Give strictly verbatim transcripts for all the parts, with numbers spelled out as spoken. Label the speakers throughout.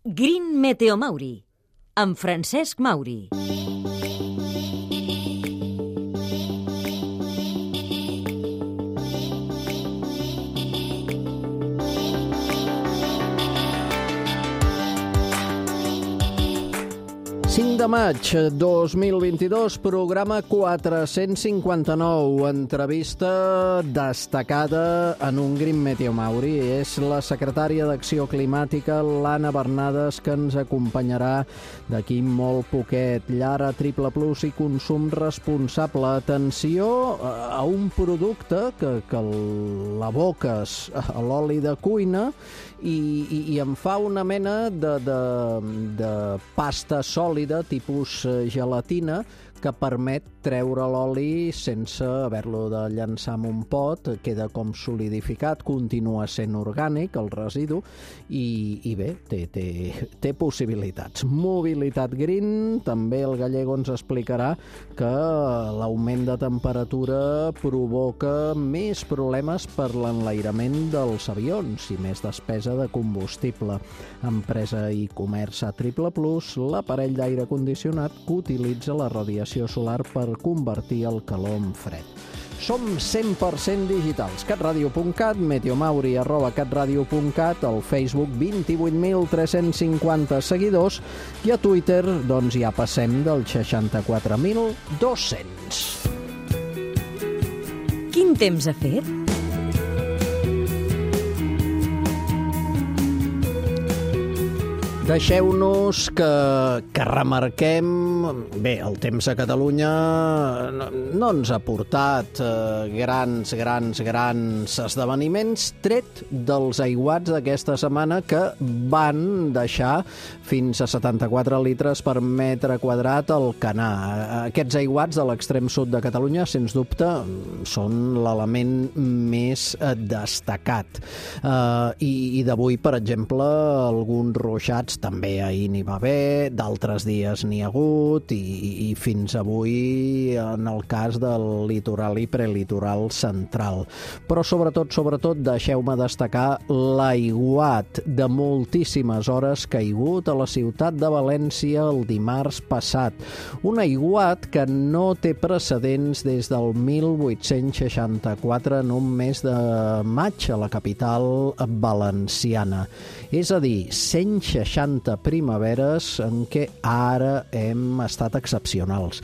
Speaker 1: Green Meteo Mauri, amb Francesc Mauri.
Speaker 2: cinc de maig dos mil vint-i-dos, programa quatre-cents cinquanta-nou, entrevista destacada en un Green Meteo Mauri. És la secretària d'Acció Climàtica, l'Anna Bernades, que ens acompanyarà d'aquí molt poquet. Llar Triple Plus i consum responsable. Atenció a un producte que, que l'aboques a l'oli de cuina i, i, i em fa una mena de, de, de pasta sòlida, tipus gelatina, que permet treure l'oli sense haver-lo de llançar en un pot. Queda com solidificat, continua sent orgànic el residu i, i bé, té, té, té possibilitats. Mobilitat Green, també el Gallego ens explicarà que l'augment de temperatura provoca més problemes per l'enlairament dels avions i més despesa de combustible. Empresa i comerç a Triple Plus, l'aparell d'aire condicionat que utilitza la radiació solar per convertir el calor en fred. Som cent per cent digitals. catradio punt cat, meteomauri arroba catradio punt cat, al Facebook vint-i-vuit mil tres-cents cinquanta seguidors i a Twitter doncs ja passem dels seixanta-quatre mil dos-cents.
Speaker 1: Quin temps ha fet?
Speaker 2: Deixeu-nos que, que remarquem... Bé, el temps a Catalunya no, no ens ha portat eh, grans, grans, grans esdeveniments, tret dels aiguats d'aquesta setmana que van deixar fins a setanta-quatre litres per metre quadrat al Canà. Aquests aiguats de l'extrem sud de Catalunya, sens dubte, són l'element més destacat. Eh, I i d'avui, per exemple, alguns ruixats també ahir n'hi va haver, d'altres dies n'hi ha hagut i, i fins avui en el cas del litoral i prelitoral central. Però sobretot, sobretot, deixeu-me destacar l'aiguat de moltíssimes hores caigut a la ciutat de València el dimarts passat. Un aiguat que no té precedents des del mil vuit-cents seixanta-quatre en un mes de maig a la capital valenciana. És a dir, cent seixanta primaveres en què ara hem estat excepcionals.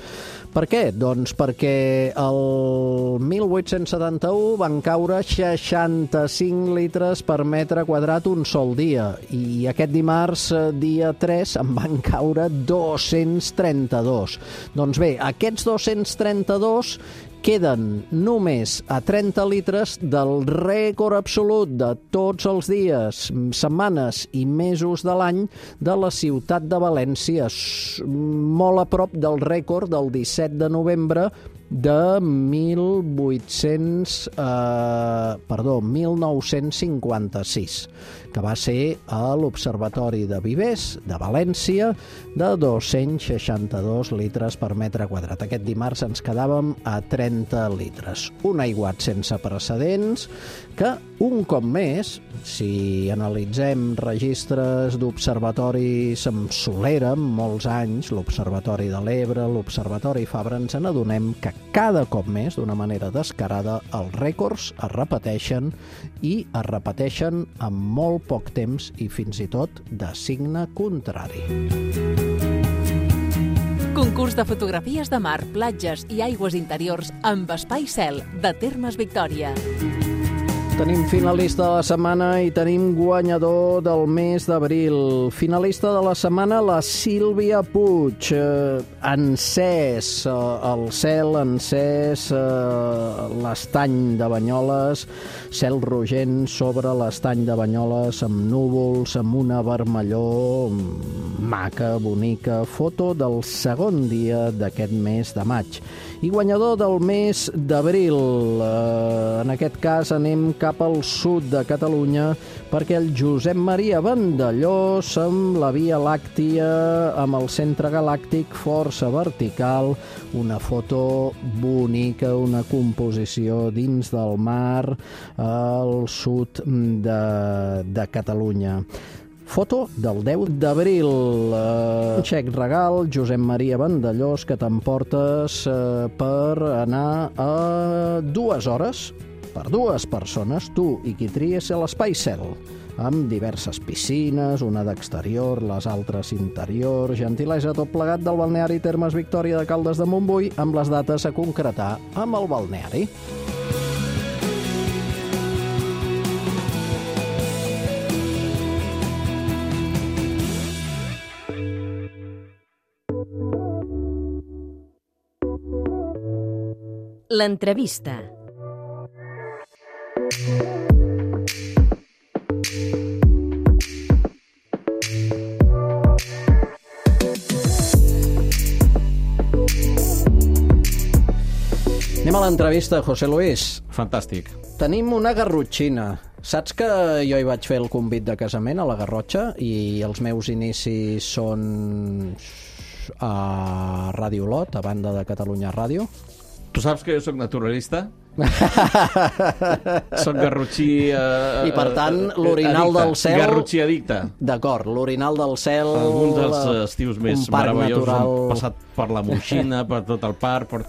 Speaker 2: Per què? Doncs perquè el mil vuit-cents setanta-u van caure seixanta-cinc litres per metre quadrat un sol dia i aquest dimarts, dia tres, en van caure dos-cents trenta-dos. Doncs bé, aquests dos-cents trenta-dos queden només a trenta litres del rècord absolut de tots els dies, setmanes i mesos de l'any de la ciutat de València, molt a prop del rècord del disset de novembre de mil vuit-cents, eh, perdó, mil nou-cents cinquanta-sis, que va ser a l'Observatori de Vivers de València de dos-cents seixanta-dos litres per metre quadrat. Aquest dimarts ens quedàvem a trenta litres. Un aiguat sense precedents que, un cop més, si analitzem registres d'observatoris amb solera, amb molts anys, l'Observatori de l'Ebre, l'Observatori Fabra, ens n'adonem que cada cop més, d'una manera descarada, els rècords es repeteixen i es repeteixen en molt poc temps i fins i tot de signe contrari.
Speaker 3: Concurs de fotografies de mar, platges i aigües interiors amb Espai Cel de Termes Victòria.
Speaker 2: Tenim finalista de la setmana i tenim guanyador del mes d'abril. Finalista de la setmana, la Sílvia Puig. Eh, encès, eh, el cel encès, eh, l'estany de Banyoles, cel rogent sobre l'estany de Banyoles, amb núvols, amb una vermellor maca, bonica. Foto del segon dia d'aquest mes de maig. I guanyador del mes d'abril. Eh, en aquest cas anem cap al sud de Catalunya perquè el Josep Maria Vandellós amb la Via Làctia, amb el centre galàctic força vertical, una foto bonica, una composició dins del mar al sud de, de Catalunya. Foto del deu d'abril. Uh, xec regal, Josep Maria Vandellós, que t'emportes uh, per anar a dues hores per dues persones, tu i qui tries a l'Espai Cel, amb diverses piscines, una d'exterior, les altres interior, gentilesa tot plegat del balneari Termes Victòria de Caldes de Montbui, amb les dates a concretar amb el balneari.
Speaker 1: L'entrevista.
Speaker 2: Anem a l'entrevista, José Luis.
Speaker 4: Fantàstic.
Speaker 2: Tenim una garrotxina. Saps que jo hi vaig fer el convit de casament a la Garrotxa i els meus inicis són a Ràdio Olot, a banda de Catalunya Ràdio?
Speaker 4: Tu saps que jo soc naturalista? Soc garrotxí... Eh,
Speaker 2: I per tant, l'orinal
Speaker 4: addicte.
Speaker 2: del cel...
Speaker 4: Garrotxí addicte.
Speaker 2: D'acord, l'orinal del cel...
Speaker 4: Alguns dels la... estius més meravellosos
Speaker 2: natural...
Speaker 4: han passat per la Moixina, per tot el parc, per...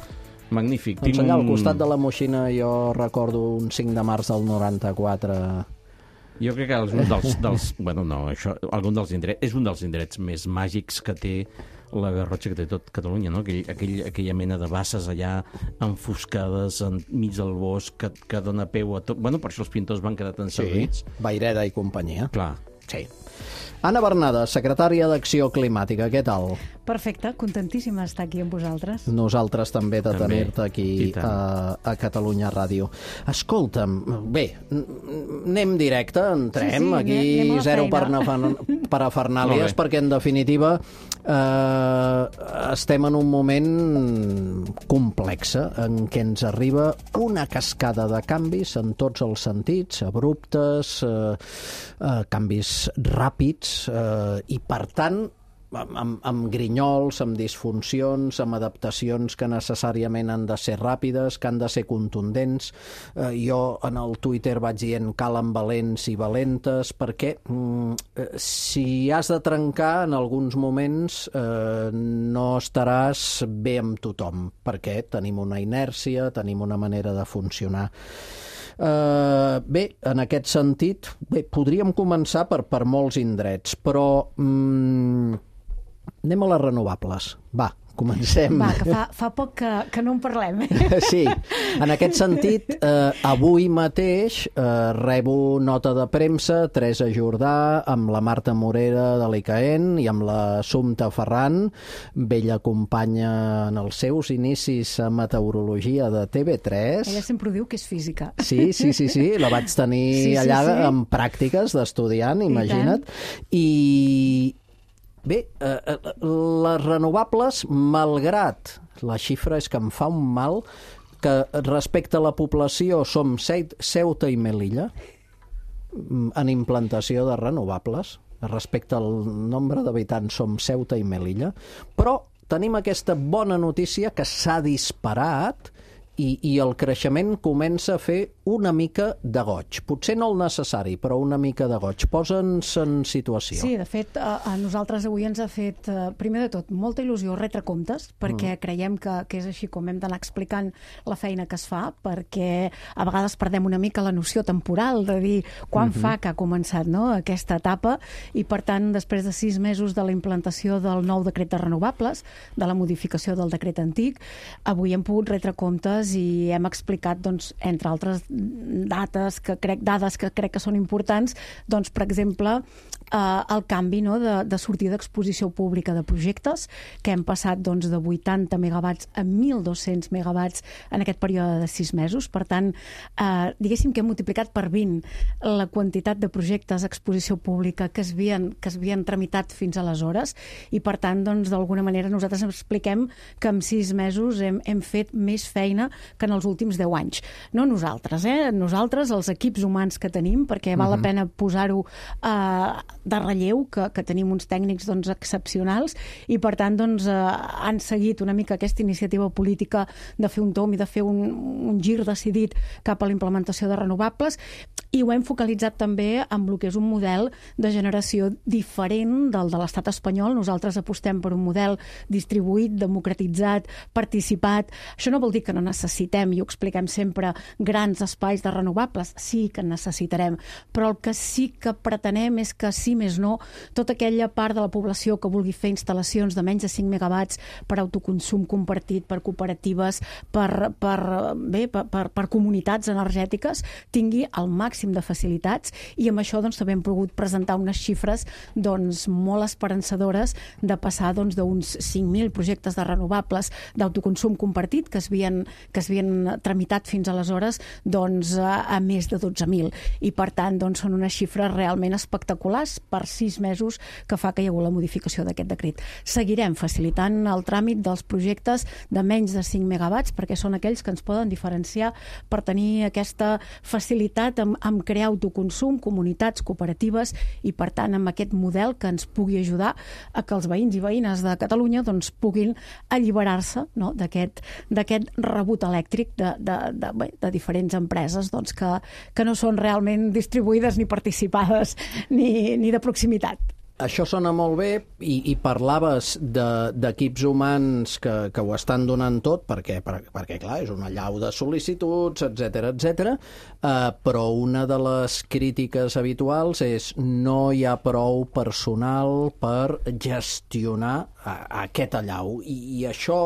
Speaker 4: Magnífic.
Speaker 2: Doncs allà, al costat de la Moixina, jo recordo un cinc de març del noranta-quatre...
Speaker 4: Jo crec que algun dels... dels bueno, no, això, algun dels indrets... És un dels indrets més màgics que té la Garrotxa, que té tot Catalunya, no? Aquell, aquell, aquella mena de basses allà enfoscades enmig del bosc que, que dona peu a tot... Bueno, per això els pintors van quedar tan servits.
Speaker 2: Sí, Vayreda i companyia.
Speaker 4: Clar.
Speaker 2: Sí. Anna Bernada, secretària d'Acció Climàtica, què tal?
Speaker 5: Perfecte, contentíssima d'estar aquí amb vosaltres.
Speaker 2: Nosaltres també de
Speaker 4: També.
Speaker 2: tenir-te aquí a, a Catalunya Ràdio. Escolta'm, bé, anem directe, entrem,
Speaker 5: Sí, sí,
Speaker 2: aquí
Speaker 5: anem a la
Speaker 2: zero
Speaker 5: feina.
Speaker 2: per parafernàlies,
Speaker 4: Molt bé.
Speaker 2: perquè en definitiva eh, estem en un moment complex en què ens arriba una cascada de canvis en tots els sentits, abruptes, eh, eh, canvis ràpids, eh, i per tant amb, amb grinyols, amb disfuncions, amb adaptacions que necessàriament han de ser ràpides, que han de ser contundents. Eh, jo en el Twitter vaig dient calen valents i valentes, perquè mm, eh, si has de trencar en alguns moments eh, no estaràs bé amb tothom, perquè tenim una inèrcia, tenim una manera de funcionar. Uh, bé, en aquest sentit, bé, podríem començar per, per molts indrets, però mm, anem a les renovables. Va, comencem.
Speaker 5: Va, que fa, fa poc que, que no en parlem.
Speaker 2: Sí, en aquest sentit, eh, avui mateix eh, rebo nota de premsa, Teresa Jordà, amb la Marta Morera de l'I C A E N i amb l'Assumpta Ferran, vella companya en els seus inicis a meteorologia de T V tres.
Speaker 5: Ella sempre ho diu que és física.
Speaker 2: Sí, sí, sí, sí, la vaig tenir
Speaker 5: Sí, sí,
Speaker 2: allà
Speaker 5: sí.
Speaker 2: en pràctiques d'estudiant, imagina't. I bé, eh, les renovables, malgrat la xifra és que em fa un mal, que respecte a la població som Ceuta i Melilla en implantació de renovables, respecte al nombre d'habitants som Ceuta i Melilla, però tenim aquesta bona notícia que s'ha disparat i, i el creixement comença a fer una mica de goig. Potser no el necessari, però una mica de goig. Posa'ns en situació.
Speaker 5: Sí, de fet, a, a nosaltres avui ens ha fet, eh, primer de tot, molta il·lusió retre comptes, perquè mm. creiem que, que és així com hem d'anar explicant la feina que es fa, perquè a vegades perdem una mica la noció temporal de dir quan mm-hmm. fa que ha començat, no?, aquesta etapa, i per tant, després de sis mesos de la implantació del nou decret de renovables, de la modificació del decret antic, avui hem pogut retre comptes i hem explicat, doncs, entre altres dates que crec, dades que crec que són importants, doncs, per exemple, eh, el canvi, no?, de, de sortida d'exposició pública de projectes, que hem passat, doncs, de vuitanta megawatts a mil dos-cents megawatts en aquest període de sis mesos. Per tant, eh, diguéssim que hem multiplicat per vint la quantitat de projectes d'exposició pública que es havien, que es havien tramitat fins aleshores, i per tant, doncs, d'alguna manera nosaltres expliquem que en sis mesos hem, hem fet més feina que en els últims deu anys. No nosaltres, eh? Nosaltres, els equips humans que tenim, perquè val la pena posar-ho eh, de relleu, que, que tenim uns tècnics doncs, excepcionals, i per tant doncs, eh, han seguit una mica aquesta iniciativa política de fer un tom i de fer un, un gir decidit cap a la implementació de renovables, i ho hem focalitzat també amb el que és un model de generació diferent del de l'estat espanyol. Nosaltres apostem per un model distribuït, democratitzat, participat. Això no vol dir que no necessitem, i ho expliquem sempre, grans espais de renovables. Sí que en necessitarem, però el que sí que pretenem és que, sí més no, tota aquella part de la població que vulgui fer instal·lacions de menys de cinc megawatts per autoconsum compartit, per cooperatives, per, per, bé, per, per, per comunitats energètiques, tingui el màxim de facilitats, i amb això doncs, també hem pogut presentar unes xifres doncs, molt esperançadores de passar doncs, d'uns cinc mil projectes de renovables d'autoconsum compartit que es havien, que es havien tramitat fins aleshores doncs, a, a més de dotze mil. I per tant doncs, són unes xifres realment espectaculars per sis mesos que fa que hi ha hagut la modificació d'aquest decret. Seguirem facilitant el tràmit dels projectes de menys de cinc megawatts perquè són aquells que ens poden diferenciar per tenir aquesta facilitat amb, amb crear autoconsum, comunitats cooperatives, i per tant amb aquest model que ens pugui ajudar a que els veïns i veïnes de Catalunya doncs, puguin alliberar-se, no?, d'aquest d'aquest rebut elèctric de, de, de, bé, de diferents empreses doncs, que, que no són realment distribuïdes ni participades ni, ni de proximitat.
Speaker 2: Això sona molt bé, i, i parlaves d'equips de, humans que, que ho estan donant tot, perquè, per, perquè clar, és una allau de sol·licituds, etcètera, etcètera, eh, però una de les crítiques habituals és no hi ha prou personal per gestionar a, a aquest allau, i, i això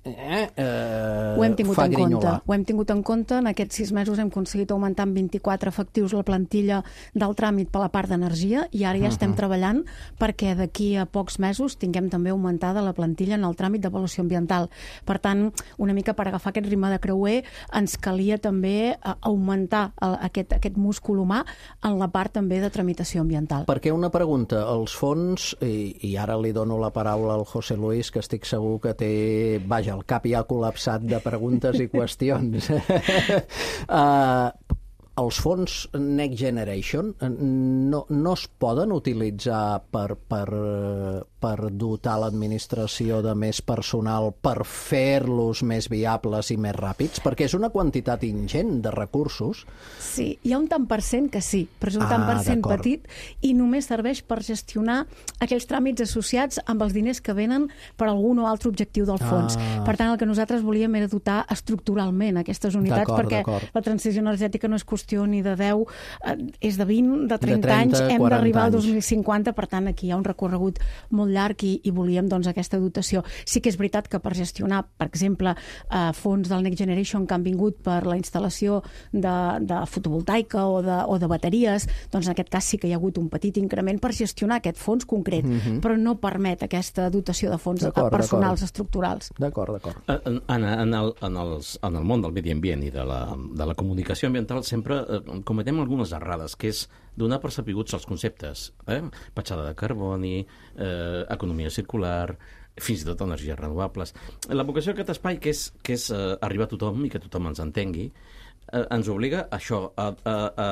Speaker 2: Eh, eh,
Speaker 5: ho hem tingut
Speaker 2: fa
Speaker 5: en
Speaker 2: grinyolar.
Speaker 5: compte. Ho hem tingut en compte. En aquests sis mesos hem aconseguit augmentar en vint-i-quatre efectius la plantilla del tràmit per la part d'energia, i ara ja estem uh-huh. treballant perquè d'aquí a pocs mesos tinguem també augmentada la plantilla en el tràmit d'avaluació ambiental. Per tant, una mica per agafar aquest ritme de creuer, ens calia també augmentar el, aquest, aquest múscul humà en la part també de tramitació ambiental.
Speaker 2: Perquè una pregunta, els fons, i, i ara li dono la paraula al José Luis, que estic segur que té, vaja, el cap ja col·lapsat de preguntes i qüestions. uh, els fons Next Generation no, no es poden utilitzar per, per, per dotar l'administració de més personal, per fer-los més viables i més ràpids? Perquè és una quantitat ingent de recursos.
Speaker 5: Sí, hi ha un tant per cent que sí, però és un ah, tant per cent petit, i només serveix per gestionar aquells tràmits associats amb els diners que venen per algun o altre objectiu del fons. Ah. Per tant, el que nosaltres volíem era dotar estructuralment aquestes unitats, perquè la transició energètica no és qüestió ni de deu, eh, és de vint, de trenta, de trenta anys, hem d'arribar al dos mil cinquanta, per tant aquí hi ha un recorregut molt llarg, i, i volíem doncs, aquesta dotació. Sí que és veritat que per gestionar, per exemple, eh, fons del Next Generation que han vingut per la instal·lació de, de fotovoltaica o de, o de bateries, doncs en aquest cas sí que hi ha hagut un petit increment per gestionar aquest fons concret, mm-hmm. però no permet aquesta dotació de fons personals estructurals.
Speaker 2: D'acord, d'acord.
Speaker 4: Anna, en el, en, els, en el món del medi ambient i de la, de la comunicació ambiental sempre eh, cometem algunes errades, que és donar per sapigots els conceptes. Eh? Petjada de carboni, eh, economia circular, fins i tot energies renovables. La vocació d'aquest espai, que és, que és eh, arribar a tothom i que tothom ens entengui, eh, ens obliga a això, a, a, a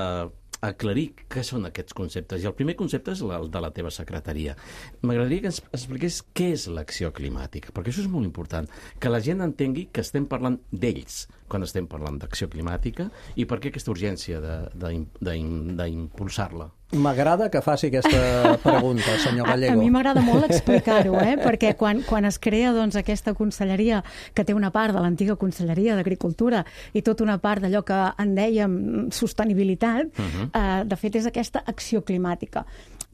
Speaker 4: aclarir què són aquests conceptes. I el primer concepte és el de la teva secretaria. M'agradaria que ens expliqués què és l'acció climàtica, perquè això és molt important, que la gent entengui que estem parlant d'ells quan estem parlant d'acció climàtica, i per què aquesta urgència d'impulsar-la.
Speaker 2: M'agrada que faci aquesta pregunta, senyor Gallego.
Speaker 5: A, a mi m'agrada molt explicar-ho, eh? perquè quan, quan es crea doncs, aquesta conselleria, que té una part de l'antiga Conselleria d'Agricultura i tota una part d'allò que en dèiem sostenibilitat, uh-huh. eh, de fet és aquesta acció climàtica.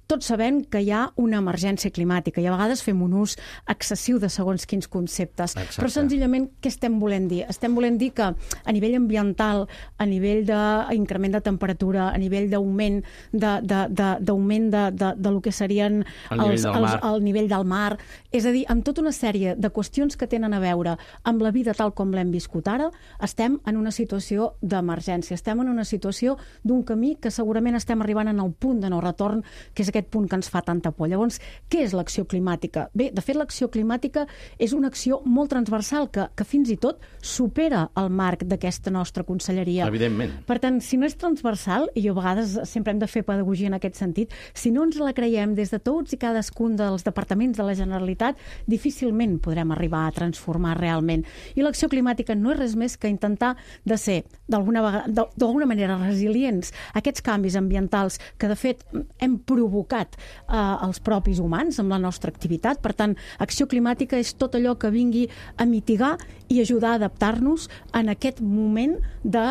Speaker 5: Tots sabem que hi ha una emergència climàtica i a vegades fem un ús excessiu de segons quins conceptes. Exacte. Però senzillament què estem volent dir? Estem volent dir que a nivell ambiental, a nivell d'increment de temperatura, a nivell d'augment de, de, de, d'augment de, de, de lo que serien
Speaker 4: el nivell, els, els,
Speaker 5: el nivell del mar, és a dir, amb tota una sèrie de qüestions que tenen a veure amb la vida tal com l'hem viscut ara, estem en una situació d'emergència, estem en una situació d'un camí que segurament estem arribant en el punt de no retorn, que és aquest aquest punt que ens fa tanta por. Llavors, què és l'acció climàtica? Bé, de fet, l'acció climàtica és una acció molt transversal que, que fins i tot supera el marc d'aquesta nostra conselleria.
Speaker 4: Evidentment.
Speaker 5: Per tant, si no és transversal, i a vegades sempre hem de fer pedagogia en aquest sentit, si no ens la creiem des de tots i cadascun dels departaments de la Generalitat, difícilment podrem arribar a transformar realment. I l'acció climàtica no és res més que intentar de ser, d'alguna vegada, d'alguna manera, resilients a aquests canvis ambientals que, de fet, hem provocat eh, els propis humans amb la nostra activitat. Per tant, acció climàtica és tot allò que vingui a mitigar i ajudar a adaptar-nos en aquest moment de,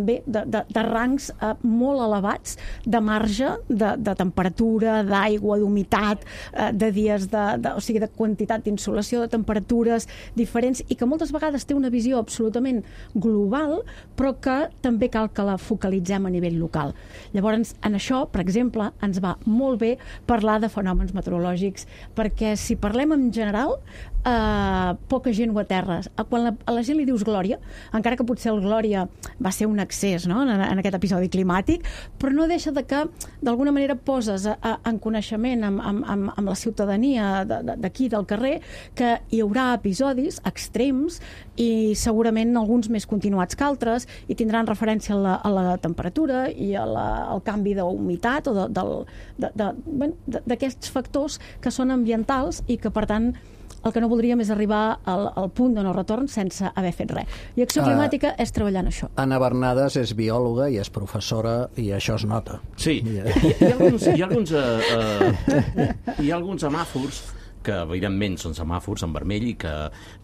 Speaker 5: bé, de, de, de rangs eh, molt elevats de marge, de, de temperatura, d'aigua, d'humitat, eh, de dies, de, de, o sigui, de quantitat d'insolació, de temperatures diferents, i que moltes vegades té una visió absolutament global, però que també cal que la focalitzem a nivell local. Llavors, en això, per exemple, ens va molt bé parlar de fenòmens meteorològics, perquè si parlem en general, eh, poca gent ho aterra. Quan la, a la gent li dius glòria, encara que potser el glòria va ser un excés, no?, en, en aquest episodi climàtic, però no deixa de que d'alguna manera poses a, a, en coneixement amb, amb, amb la ciutadania d'aquí, del carrer, que hi haurà episodis extrems i segurament alguns més continuats que altres, i tindran referència a la, a la temperatura i a la, al canvi d'humitat o de, del, de, de, bueno, d'aquests factors que són ambientals i que, per tant, el que no voldríem és arribar al, al punt de no retorn sense haver fet res. I acció climàtica uh, és treballar en això.
Speaker 2: Anna Bernades és biòloga i és professora, i això es nota.
Speaker 4: Sí, hi ha, hi ha alguns, hi ha alguns, uh, uh, hi ha alguns semàfors que evidentment són semàfors en vermell, i que...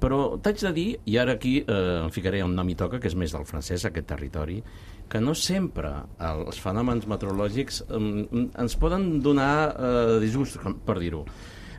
Speaker 4: però t'haig de dir, i ara aquí eh, em ficaré on no m'hi toca, que és més del francès, aquest territori, que no sempre els fenòmens meteorològics eh, ens poden donar eh, disgust, per dir-ho.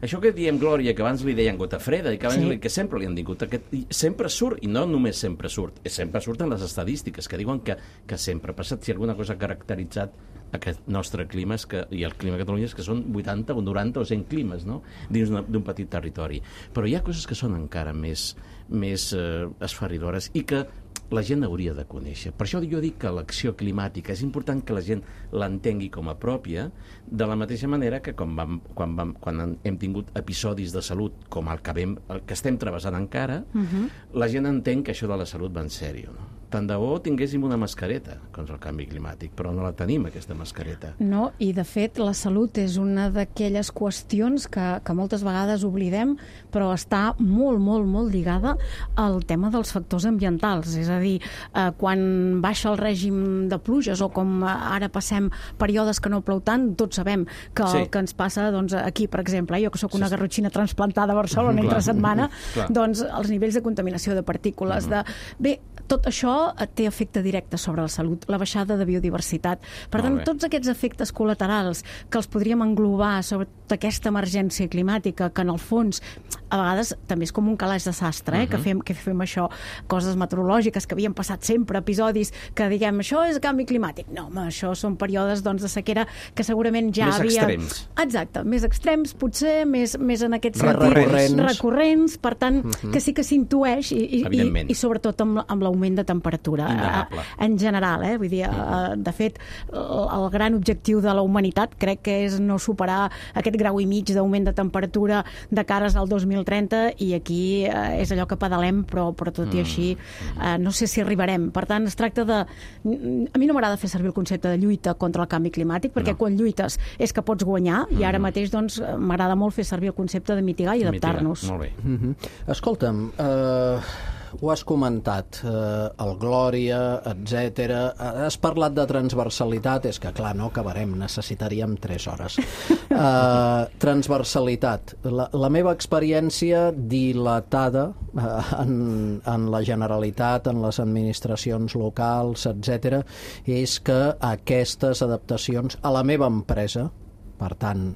Speaker 4: Això que diem glòria, que abans li deien gota freda, i que, abans
Speaker 5: sí.
Speaker 4: li, que sempre li han dit, aquest, sempre surt, i no només sempre surt, sempre surten les estadístiques que diuen que, que sempre ha passat. Si alguna cosa ha caracteritzat aquest nostre clima és que, i el clima a Catalunya, és que són vuitanta o noranta o cent climes, no?, dins d'un petit territori. Però hi ha coses que són encara més, més eh, esferridores i que la gent hauria de conèixer. Per això jo dic que l'acció climàtica és important que la gent l'entengui com a pròpia, de la mateixa manera que quan, vam, quan, vam, quan hem tingut episodis de salut com el que, vam, el que estem travessant encara, uh-huh. la gent entén que això de la salut va en sèrio, no? Tant de bo tinguéssim una mascareta contra el canvi climàtic, però no la tenim, aquesta mascareta.
Speaker 5: No, i de fet la salut és una d'aquelles qüestions que, que moltes vegades oblidem, però està molt, molt, molt lligada al tema dels factors ambientals. És a dir, eh, quan baixa el règim de pluges o com ara passem períodes que no plou tant, tots sabem que el sí. que ens passa, doncs, aquí, per exemple, jo que sóc una garrotxina transplantada a Barcelona mm, entre setmana, doncs els nivells de contaminació de partícules, mm. de... Bé, tot això té efecte directe sobre la salut, la baixada de biodiversitat. Per tant, tots aquests efectes col·laterals que els podríem englobar sobre aquesta emergència climàtica, que en el fons a vegades també és com un calaix de sastre, eh? uh-huh. que, fem, que fem això, coses meteorològiques que havien passat sempre, episodis que diguem, això és canvi climàtic. No, home, això són períodes, doncs, de sequera que segurament ja
Speaker 4: més
Speaker 5: havia...
Speaker 4: Més extrems.
Speaker 5: Exacte, més extrems, potser, més, més en aquest sentit...
Speaker 2: Recurrents.
Speaker 5: Recurrents, per tant, uh-huh. que sí que s'intueix i, i, i, i sobretot amb, amb l'augment de temperatura.
Speaker 4: Innegable.
Speaker 5: En general, eh? Vull dir, uh-huh. de fet, el, el gran objectiu de la humanitat crec que és no superar aquest grau i mig d'augment de temperatura de cares al dos mil trenta, i aquí eh, és allò que pedalem, però, però tot i així eh, no sé si arribarem. Per tant, es tracta de... A mi no m'agrada fer servir el concepte de lluita contra el canvi climàtic, perquè no. quan lluites és que pots guanyar, i ara mateix doncs m'agrada molt fer servir el concepte de mitigar i adaptar-nos.
Speaker 4: Molt bé.
Speaker 2: Mm-hmm. Escolta'm, eh... ho has comentat, eh, el Glòria, etcètera. Has parlat de transversalitat, és que clar, no acabarem, necessitaríem tres hores. Eh, transversalitat. La, la meva experiència dilatada eh, en, en la Generalitat, en les administracions locals, etcètera, és que aquestes adaptacions a la meva empresa, per tant,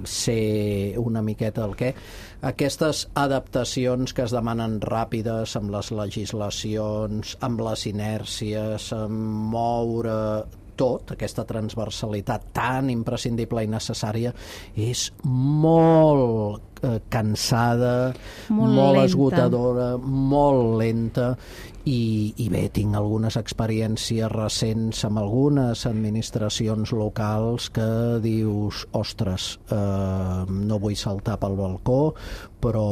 Speaker 2: sé una miqueta el què, aquestes adaptacions que es demanen ràpides amb les legislacions, amb les inèrcies, amb moure tot, aquesta transversalitat tan imprescindible i necessària, és molt eh, cansada,
Speaker 5: Molt
Speaker 2: molt
Speaker 5: lenta.
Speaker 2: esgotadora, molt lenta, i, i bé, tinc algunes experiències recents amb algunes administracions locals que dius, ostres, eh, no vull saltar pel balcó, però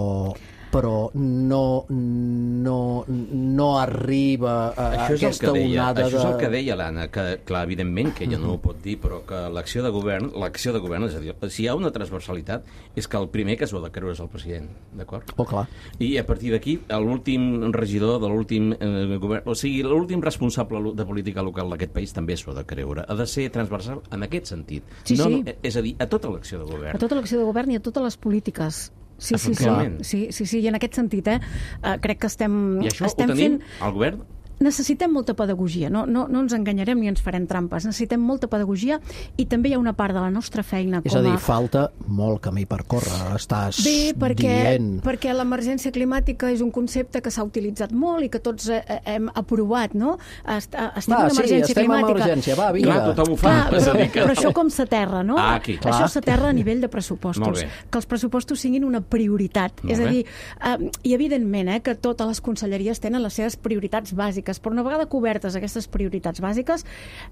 Speaker 2: però no, no, no arriba a, a
Speaker 4: això és
Speaker 2: aquesta
Speaker 4: el que deia,
Speaker 2: onada
Speaker 4: això és el
Speaker 2: de...
Speaker 4: que deia l'Anna, que clar, evidentment que ella no ho pot dir, però que l'acció de govern, l'acció de govern, és a dir, si hi ha una transversalitat, és que el primer que s'ho ha de creure és el president, d'acord?
Speaker 2: Oh, clar.
Speaker 4: I a partir d'aquí, l'últim regidor de l'últim eh, govern, o sigui, l'últim responsable de política local d'aquest país també s'ho ha de creure. Ha de ser transversal en aquest sentit.
Speaker 5: Sí,
Speaker 4: no,
Speaker 5: sí.
Speaker 4: No, és a dir, a tota l'acció de govern.
Speaker 5: A tota l'acció de govern i a totes les polítiques. Sí, sí, sí,
Speaker 4: Efectivament.
Speaker 5: sí, sí, sí, i en aquest sentit, eh, uh, crec que estem,
Speaker 4: I això
Speaker 5: estem
Speaker 4: ho tenim
Speaker 5: fent...
Speaker 4: al govern?
Speaker 5: Necessitem molta pedagogia, no, no, no ens enganyarem ni ens farem trampes, necessitem molta pedagogia i també hi ha una part de la nostra feina
Speaker 2: És
Speaker 5: com
Speaker 2: a dir,
Speaker 5: a...
Speaker 2: falta molt camí per córrer, estàs
Speaker 5: Bé, perquè,
Speaker 2: dient...
Speaker 5: perquè l'emergència climàtica és un concepte que s'ha utilitzat molt i que tots eh, hem aprovat, no? Est estem
Speaker 2: Va,
Speaker 5: en
Speaker 2: sí,
Speaker 5: emergència
Speaker 2: estem en
Speaker 5: climàtica.
Speaker 2: emergència, va, vinga.
Speaker 4: Clar, tothom ho fa.
Speaker 5: Clar,
Speaker 4: és a
Speaker 5: però,
Speaker 4: dir que...
Speaker 5: però això com s'aterra, no?
Speaker 4: Ah, aquí.
Speaker 5: Això
Speaker 2: Clar.
Speaker 5: s'aterra a nivell de
Speaker 4: Molt
Speaker 5: pressupostos.
Speaker 4: bé.
Speaker 5: Que els pressupostos siguin una prioritat.
Speaker 4: Molt
Speaker 5: és a
Speaker 4: bé.
Speaker 5: dir, eh, i evidentment eh, que totes les conselleries tenen les seves prioritats bàsiques, però una vegada cobertes aquestes prioritats bàsiques,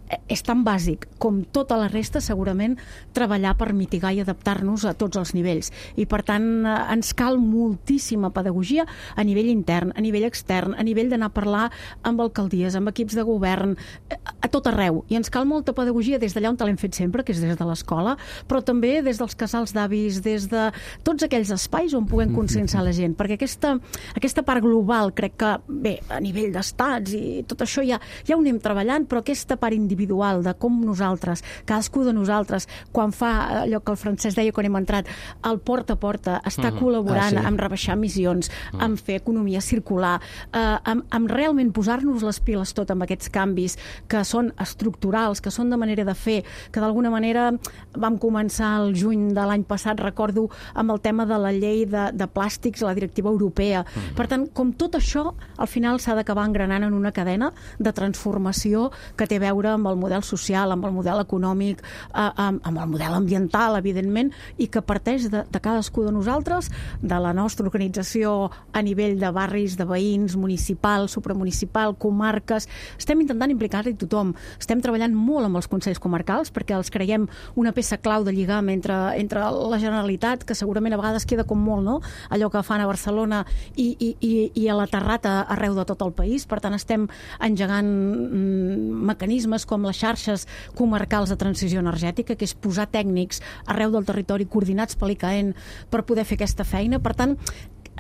Speaker 5: eh, és tan bàsic com tota la resta, segurament, treballar per mitigar i adaptar-nos a tots els nivells. I, per tant, eh, ens cal moltíssima pedagogia a nivell intern, a nivell extern, a nivell d'anar a parlar amb alcaldies, amb equips de govern, eh, a tot arreu. I ens cal molta pedagogia des d'allà on l'hem fet sempre, que és des de l'escola, però també des dels casals d'avis, des de tots aquells espais on puguem conscienciar la gent, perquè aquesta, aquesta part global, crec que, bé, a nivell d'estats i tot això ja, ja ho anem treballant, però aquesta part individual de com nosaltres, cadascú de nosaltres, quan fa allò que el Francesc deia quan hem entrat, el porta a porta, està
Speaker 4: Mhm.
Speaker 5: col·laborant
Speaker 2: Ah, sí.
Speaker 5: amb rebaixar emissions, amb fer economia circular, eh, amb, amb realment posar-nos les piles tot amb aquests canvis que són estructurals, que són de manera de fer, que d'alguna manera vam començar el juny de l'any passat, recordo, amb el tema de la llei de, de plàstics, la directiva europea.
Speaker 4: Mhm.
Speaker 5: Per tant, com tot això, al final s'ha d'acabar engranant en una cadena de transformació que té a veure amb el model social, amb el model econòmic, eh, amb, amb el model ambiental, evidentment, i que parteix de, de cadascú de nosaltres, de la nostra organització a nivell de barris, de veïns, municipal, supramunicipal, comarques. Estem intentant implicar-hi tothom. Estem treballant molt amb els consells comarcals perquè els creiem una peça clau de lligam entre, entre la Generalitat, que segurament a vegades queda com molt, no?, allò que fan a Barcelona i, i, i, i a la Terrata arreu de tot el país. Per tant, estem engegant mm, mecanismes com les xarxes comarcals de transició energètica, que és posar tècnics arreu del territori coordinats per l'I C A E N per poder fer aquesta feina. Per tant,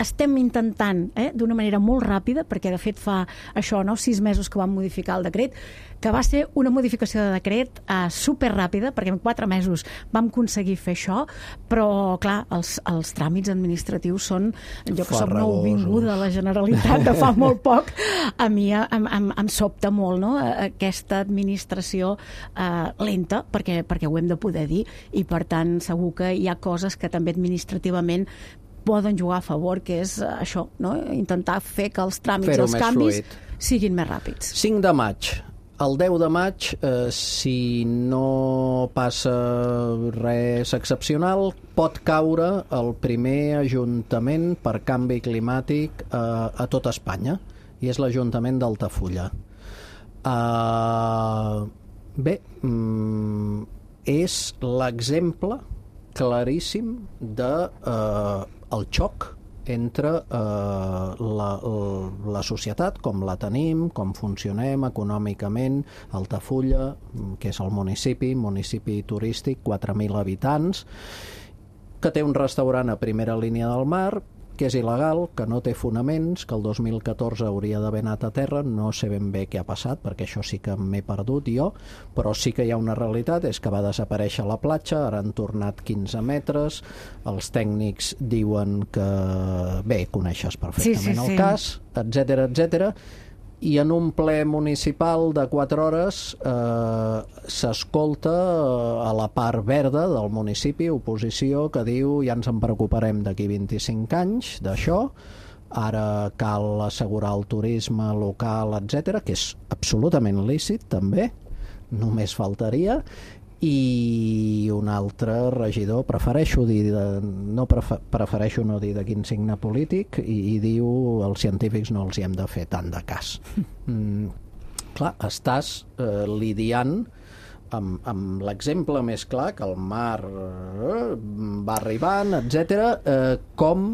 Speaker 5: estem intentant, eh, d'una manera molt ràpida, perquè de fet fa això, no?, sis mesos que vam modificar el decret, que va ser una modificació de decret eh, superràpida, perquè en quatre mesos vam aconseguir fer això, però clar, els, els tràmits administratius són, jo que soc nouvinguda a la Generalitat de fa molt poc, a mi em, em, em sobta molt, no?, aquesta administració eh, lenta, perquè, perquè ho hem de poder dir, i per tant segur que hi ha coses que també administrativament poden jugar a favor, que és això, no?, intentar fer que els tràmits i els canvis
Speaker 2: fluid.
Speaker 5: siguin més ràpids.
Speaker 2: cinc de maig. El deu de maig, eh, si no passa res excepcional, pot caure el primer ajuntament per canvi climàtic eh, a tot Espanya, i és l'Ajuntament d'Altafulla. Uh, bé, mm, és l'exemple claríssim de uh, el xoc entre eh, la, la societat, com la tenim, com funcionem econòmicament. Altafulla, que és el municipi, municipi turístic, quatre mil habitants, que té un restaurant a primera línia del mar, que és il·legal, que no té fonaments, que el dos mil catorze hauria d'haver anat a terra, no sé ben bé què ha passat, perquè això sí que m'he perdut jo, però sí que hi ha una realitat, és que va desaparèixer la platja, ara han tornat quinze metres, els tècnics diuen que, bé, coneixes perfectament
Speaker 5: Sí, sí, sí.
Speaker 2: el cas, etcètera, etcètera, i en un ple municipal de quatre hores eh, s'escolta eh, a la part verda del municipi oposició que diu ja ens en preocuparem d'aquí vint-i-cinc anys d'això, ara cal assegurar el turisme local, etcètera, que és absolutament lícit també, només faltaria, i un altre regidor, prefereixo dir de, no prefer, prefereixo no dir de quin signe polític, i, i diu els científics no els hi hem de fer tant de cas. Mm, clar, estàs eh, lidiant amb, amb l'exemple més clar, que el mar eh, va arribant, etcètera. Eh, com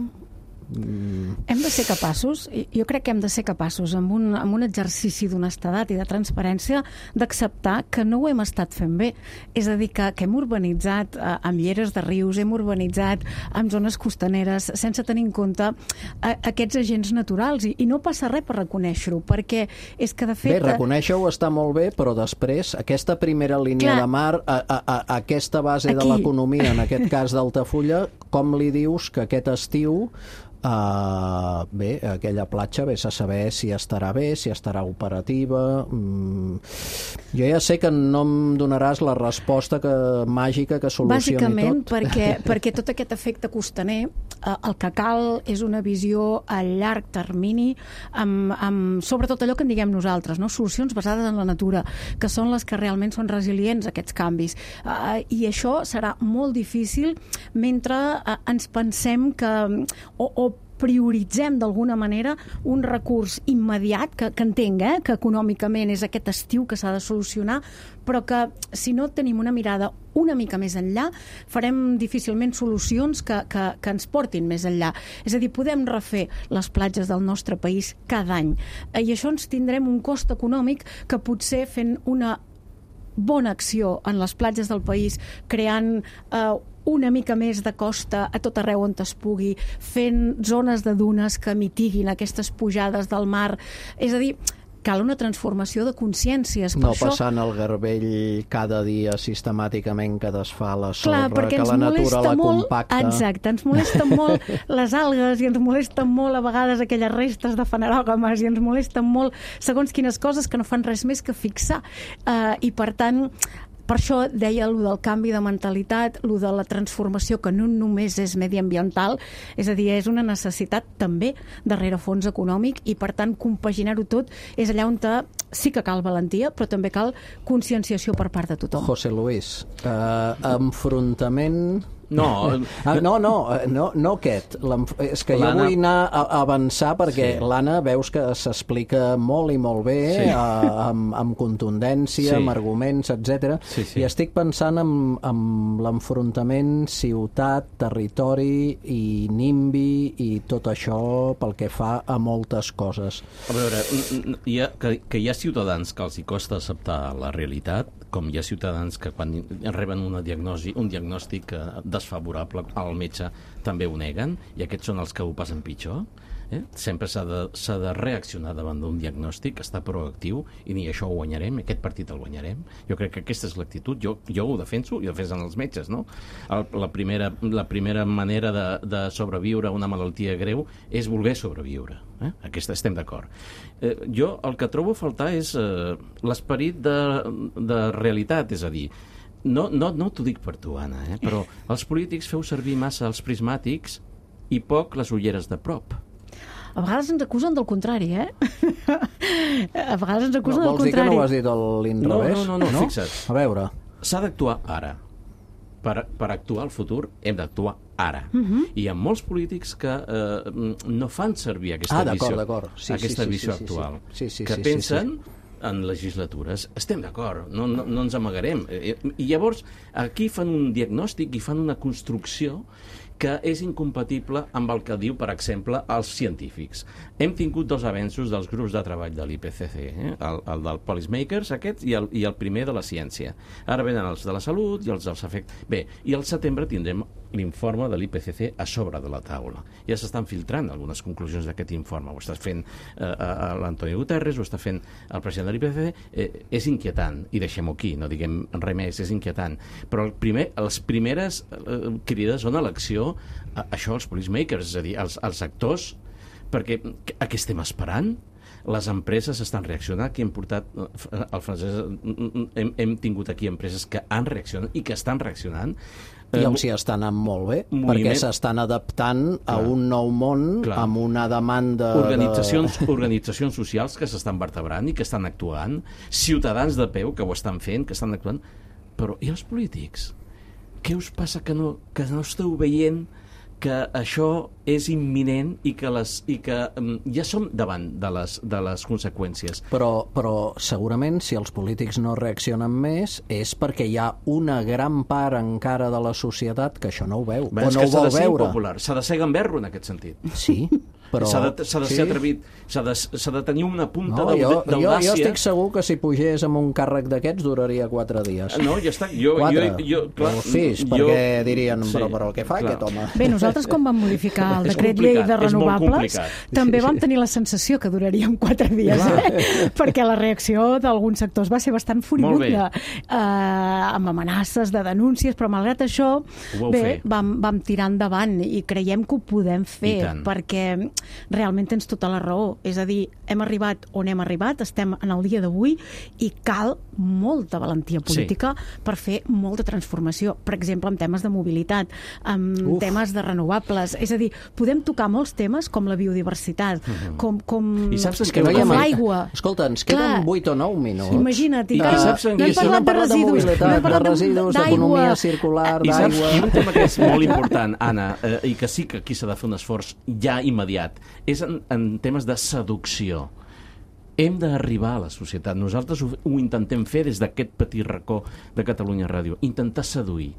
Speaker 5: Hem de ser capaços, jo crec que hem de ser capaços, amb un, amb un exercici d'honestedat i de transparència, d'acceptar que no ho hem estat fent bé. És a dir, que, que hem urbanitzat eh, amb lleres de rius, hem urbanitzat amb zones costaneres, sense tenir en compte eh, aquests agents naturals. I, i no passa res per reconèixer-ho, perquè és que, de fet...
Speaker 2: Bé, reconèixer-ho està molt bé, però després, aquesta primera línia
Speaker 5: Clar.
Speaker 2: de mar, a, a, a aquesta base
Speaker 5: Aquí.
Speaker 2: de l'economia, en aquest cas d'Altafulla, com li dius que aquest estiu Uh, bé, aquella platja vés a saber si estarà bé, si estarà operativa. Mm, jo ja sé que no em donaràs la resposta que, màgica que solucioni
Speaker 5: Bàsicament
Speaker 2: tot.
Speaker 5: perquè, perquè tot aquest efecte costaner, eh, el que cal és una visió a llarg termini, amb, amb sobretot allò que en diguem nosaltres, no? Solucions basades en la natura, que són les que realment són resilients a aquests canvis. Uh, I això serà molt difícil mentre uh, ens pensem que... O, o prioritzem d'alguna manera un recurs immediat, que, que entenc eh, que econòmicament és aquest estiu que s'ha de solucionar, però que si no tenim una mirada una mica més enllà, farem difícilment solucions que, que, que ens portin més enllà. És a dir, podem refer les platges del nostre país cada any, i això ens tindrem un cost econòmic que potser fent una bona acció en les platges del país, creant eh, una mica més de costa a tot arreu on es pugui, fent zones de dunes que mitiguin aquestes pujades del mar. És a dir, cal una transformació de consciències. Per
Speaker 2: No
Speaker 5: això...
Speaker 2: passant el garbell cada dia sistemàticament que desfà la sorra,
Speaker 5: Clar,
Speaker 2: que
Speaker 5: ens
Speaker 2: la natura la
Speaker 5: molt,
Speaker 2: compacta.
Speaker 5: Exacte, ens molesten molt les algues i ens molesten molt a vegades aquelles restes de fanerògames i ens molesten molt segons quines coses que no fan res més que fixar. Uh, I per tant, per això deia allò del canvi de mentalitat, allò de la transformació, que no només és mediambiental, és a dir, és una necessitat també de rerefons econòmic, i per tant compaginar-ho tot és allà on sí que cal valentia, però també cal conscienciació per part de tothom.
Speaker 2: José Luis, eh, enfrontament...
Speaker 4: No,
Speaker 2: ah, no, no, no, no aquest. És que jo vull anar a avançar perquè sí. l'Anna veus que s'explica molt i molt bé, sí. a, amb, amb contundència, sí. amb arguments, etcètera. Sí, sí. I estic pensant en, en l'enfrontament ciutat, territori i NIMBY i tot això pel que fa a moltes coses.
Speaker 4: A veure, hi ha, que, que hi ha ciutadans que els hi costa acceptar la realitat, com hi ha ciutadans que quan reben una diagnosi, un diagnòstic desfavorable al metge també ho neguen, i aquests són els que ho passen pitjor. Eh? Sempre s'ha de, s'ha de reaccionar davant d'un diagnòstic, estar proactiu, i ni això ho guanyarem, aquest partit el guanyarem. Jo crec que aquesta és l'actitud, jo, jo ho defenso i ho defensen els metges, no? El, la, primera, la primera manera de, de sobreviure a una malaltia greu és voler sobreviure. Eh? Aquesta estem d'acord. Eh, jo el que trobo a faltar és eh, l'esperit de, de realitat, és a dir, no, no, no t'ho dic per tu, Anna, eh? Però els polítics feu servir massa els prismàtics i poc les ulleres de prop.
Speaker 5: A vegades ens acusen del contrari, eh? A vegades ens acusen
Speaker 2: no,
Speaker 5: del contrari.
Speaker 2: Vols dir que no ho has dit a l'inrevés?
Speaker 4: No, no, no, no, fixa't.
Speaker 2: A veure.
Speaker 4: S'ha d'actuar ara. Per, per actuar al futur hem d'actuar ara.
Speaker 5: Uh-huh.
Speaker 4: I hi ha molts polítics que eh, no fan servir aquesta
Speaker 2: ah,
Speaker 4: visió,
Speaker 2: sí,
Speaker 4: aquesta
Speaker 2: sí, sí,
Speaker 4: visió
Speaker 2: sí,
Speaker 4: actual,
Speaker 2: sí, sí,
Speaker 4: que
Speaker 2: sí,
Speaker 4: pensen
Speaker 2: sí, sí.
Speaker 4: en legislatures. Estem d'acord, no, no, no ens amagarem. I llavors aquí fan un diagnòstic i fan una construcció que és incompatible amb el que diu, per exemple, els científics. Hem tingut dos avenços dels grups de treball de l'I P C C, eh? el, el del Policymakers, aquest, i el, i el primer de la ciència. Ara venen els de la salut i els dels efectes... Bé, i al setembre tindrem l'informe de l'I P C C a sobre de la taula. Ja s'estan filtrant algunes conclusions d'aquest informe. Ho està fent eh, l'Antoni Guterres, ho està fent el president de l'I P C C. Eh, és inquietant, i deixem-ho aquí, no diguem res més, és inquietant. Però el primer, les primeres eh, crides són a l'acció, a, això, els policymakers, és a dir, els, els actors, perquè a què estem esperant? Les empreses estan reaccionant, aquí hem portat el francès, hem, hem tingut aquí empreses que han reaccionat i que estan reaccionant.
Speaker 2: I els hi està anant molt bé,
Speaker 4: moviment...
Speaker 2: perquè s'estan adaptant Clar. a un nou món, Clar. amb una demanda...
Speaker 4: Organitzacions,
Speaker 2: de...
Speaker 4: organitzacions socials que s'estan vertebrant i que estan actuant, ciutadans de peu que ho estan fent, que estan actuant, però i els polítics? Què us passa que no, que no esteu veient que això és imminent i que, les, i que um, ja som davant de les, de les conseqüències.
Speaker 2: Però, però segurament si els polítics no reaccionen més és perquè hi ha una gran part encara de la societat que això no ho veu,
Speaker 4: Bé,
Speaker 2: o no ho vol veure.
Speaker 4: S'ha de ser gamberro en aquest sentit.
Speaker 2: Sí, però...
Speaker 4: S'ha de, s'ha de ser sí. atrevit, s'ha de, s'ha de tenir una punta
Speaker 2: no, jo,
Speaker 4: d'audàcia.
Speaker 2: Jo, jo estic segur que si pugés amb un càrrec d'aquests duraria quatre dies.
Speaker 4: No, ja està. Jo,
Speaker 2: quatre,
Speaker 4: jo, jo, clar,
Speaker 2: o sis, jo, perquè dirien, sí, però, però què fa clar. aquest home?
Speaker 5: Bé, nosaltres quan vam modificar el decret llei de renovables també vam tenir la sensació que duraríem quatre dies, eh? perquè la reacció d'alguns sectors va ser bastant furibunda, eh, amb amenaces de denúncies, però malgrat això bé, vam, vam tirar endavant i creiem que ho podem fer, perquè realment tens tota la raó. És a dir, hem arribat on hem arribat, estem en el dia d'avui i cal molta valentia política sí. per fer molta transformació. Per exemple, en temes de mobilitat, en Uf. temes de renovables. És a dir, podem tocar molts temes com la biodiversitat, uh-huh. com, com,
Speaker 4: I saps
Speaker 5: com l'aigua.
Speaker 2: Escolta, ens queden vuit o nou minuts.
Speaker 5: Imagina't. I,
Speaker 4: I,
Speaker 5: I
Speaker 4: saps
Speaker 5: no hem parlat de residus,
Speaker 2: no hem parlat de residus, d'economia circular, d'aigua...
Speaker 4: I un tema que és molt important, Anna, eh, i que sí que aquí s'ha de fer un esforç ja immediat, és en, en temes de seducció. Hem d'arribar a la societat. Nosaltres ho, ho intentem fer des d'aquest petit racó de Catalunya Ràdio. Intentar seduir.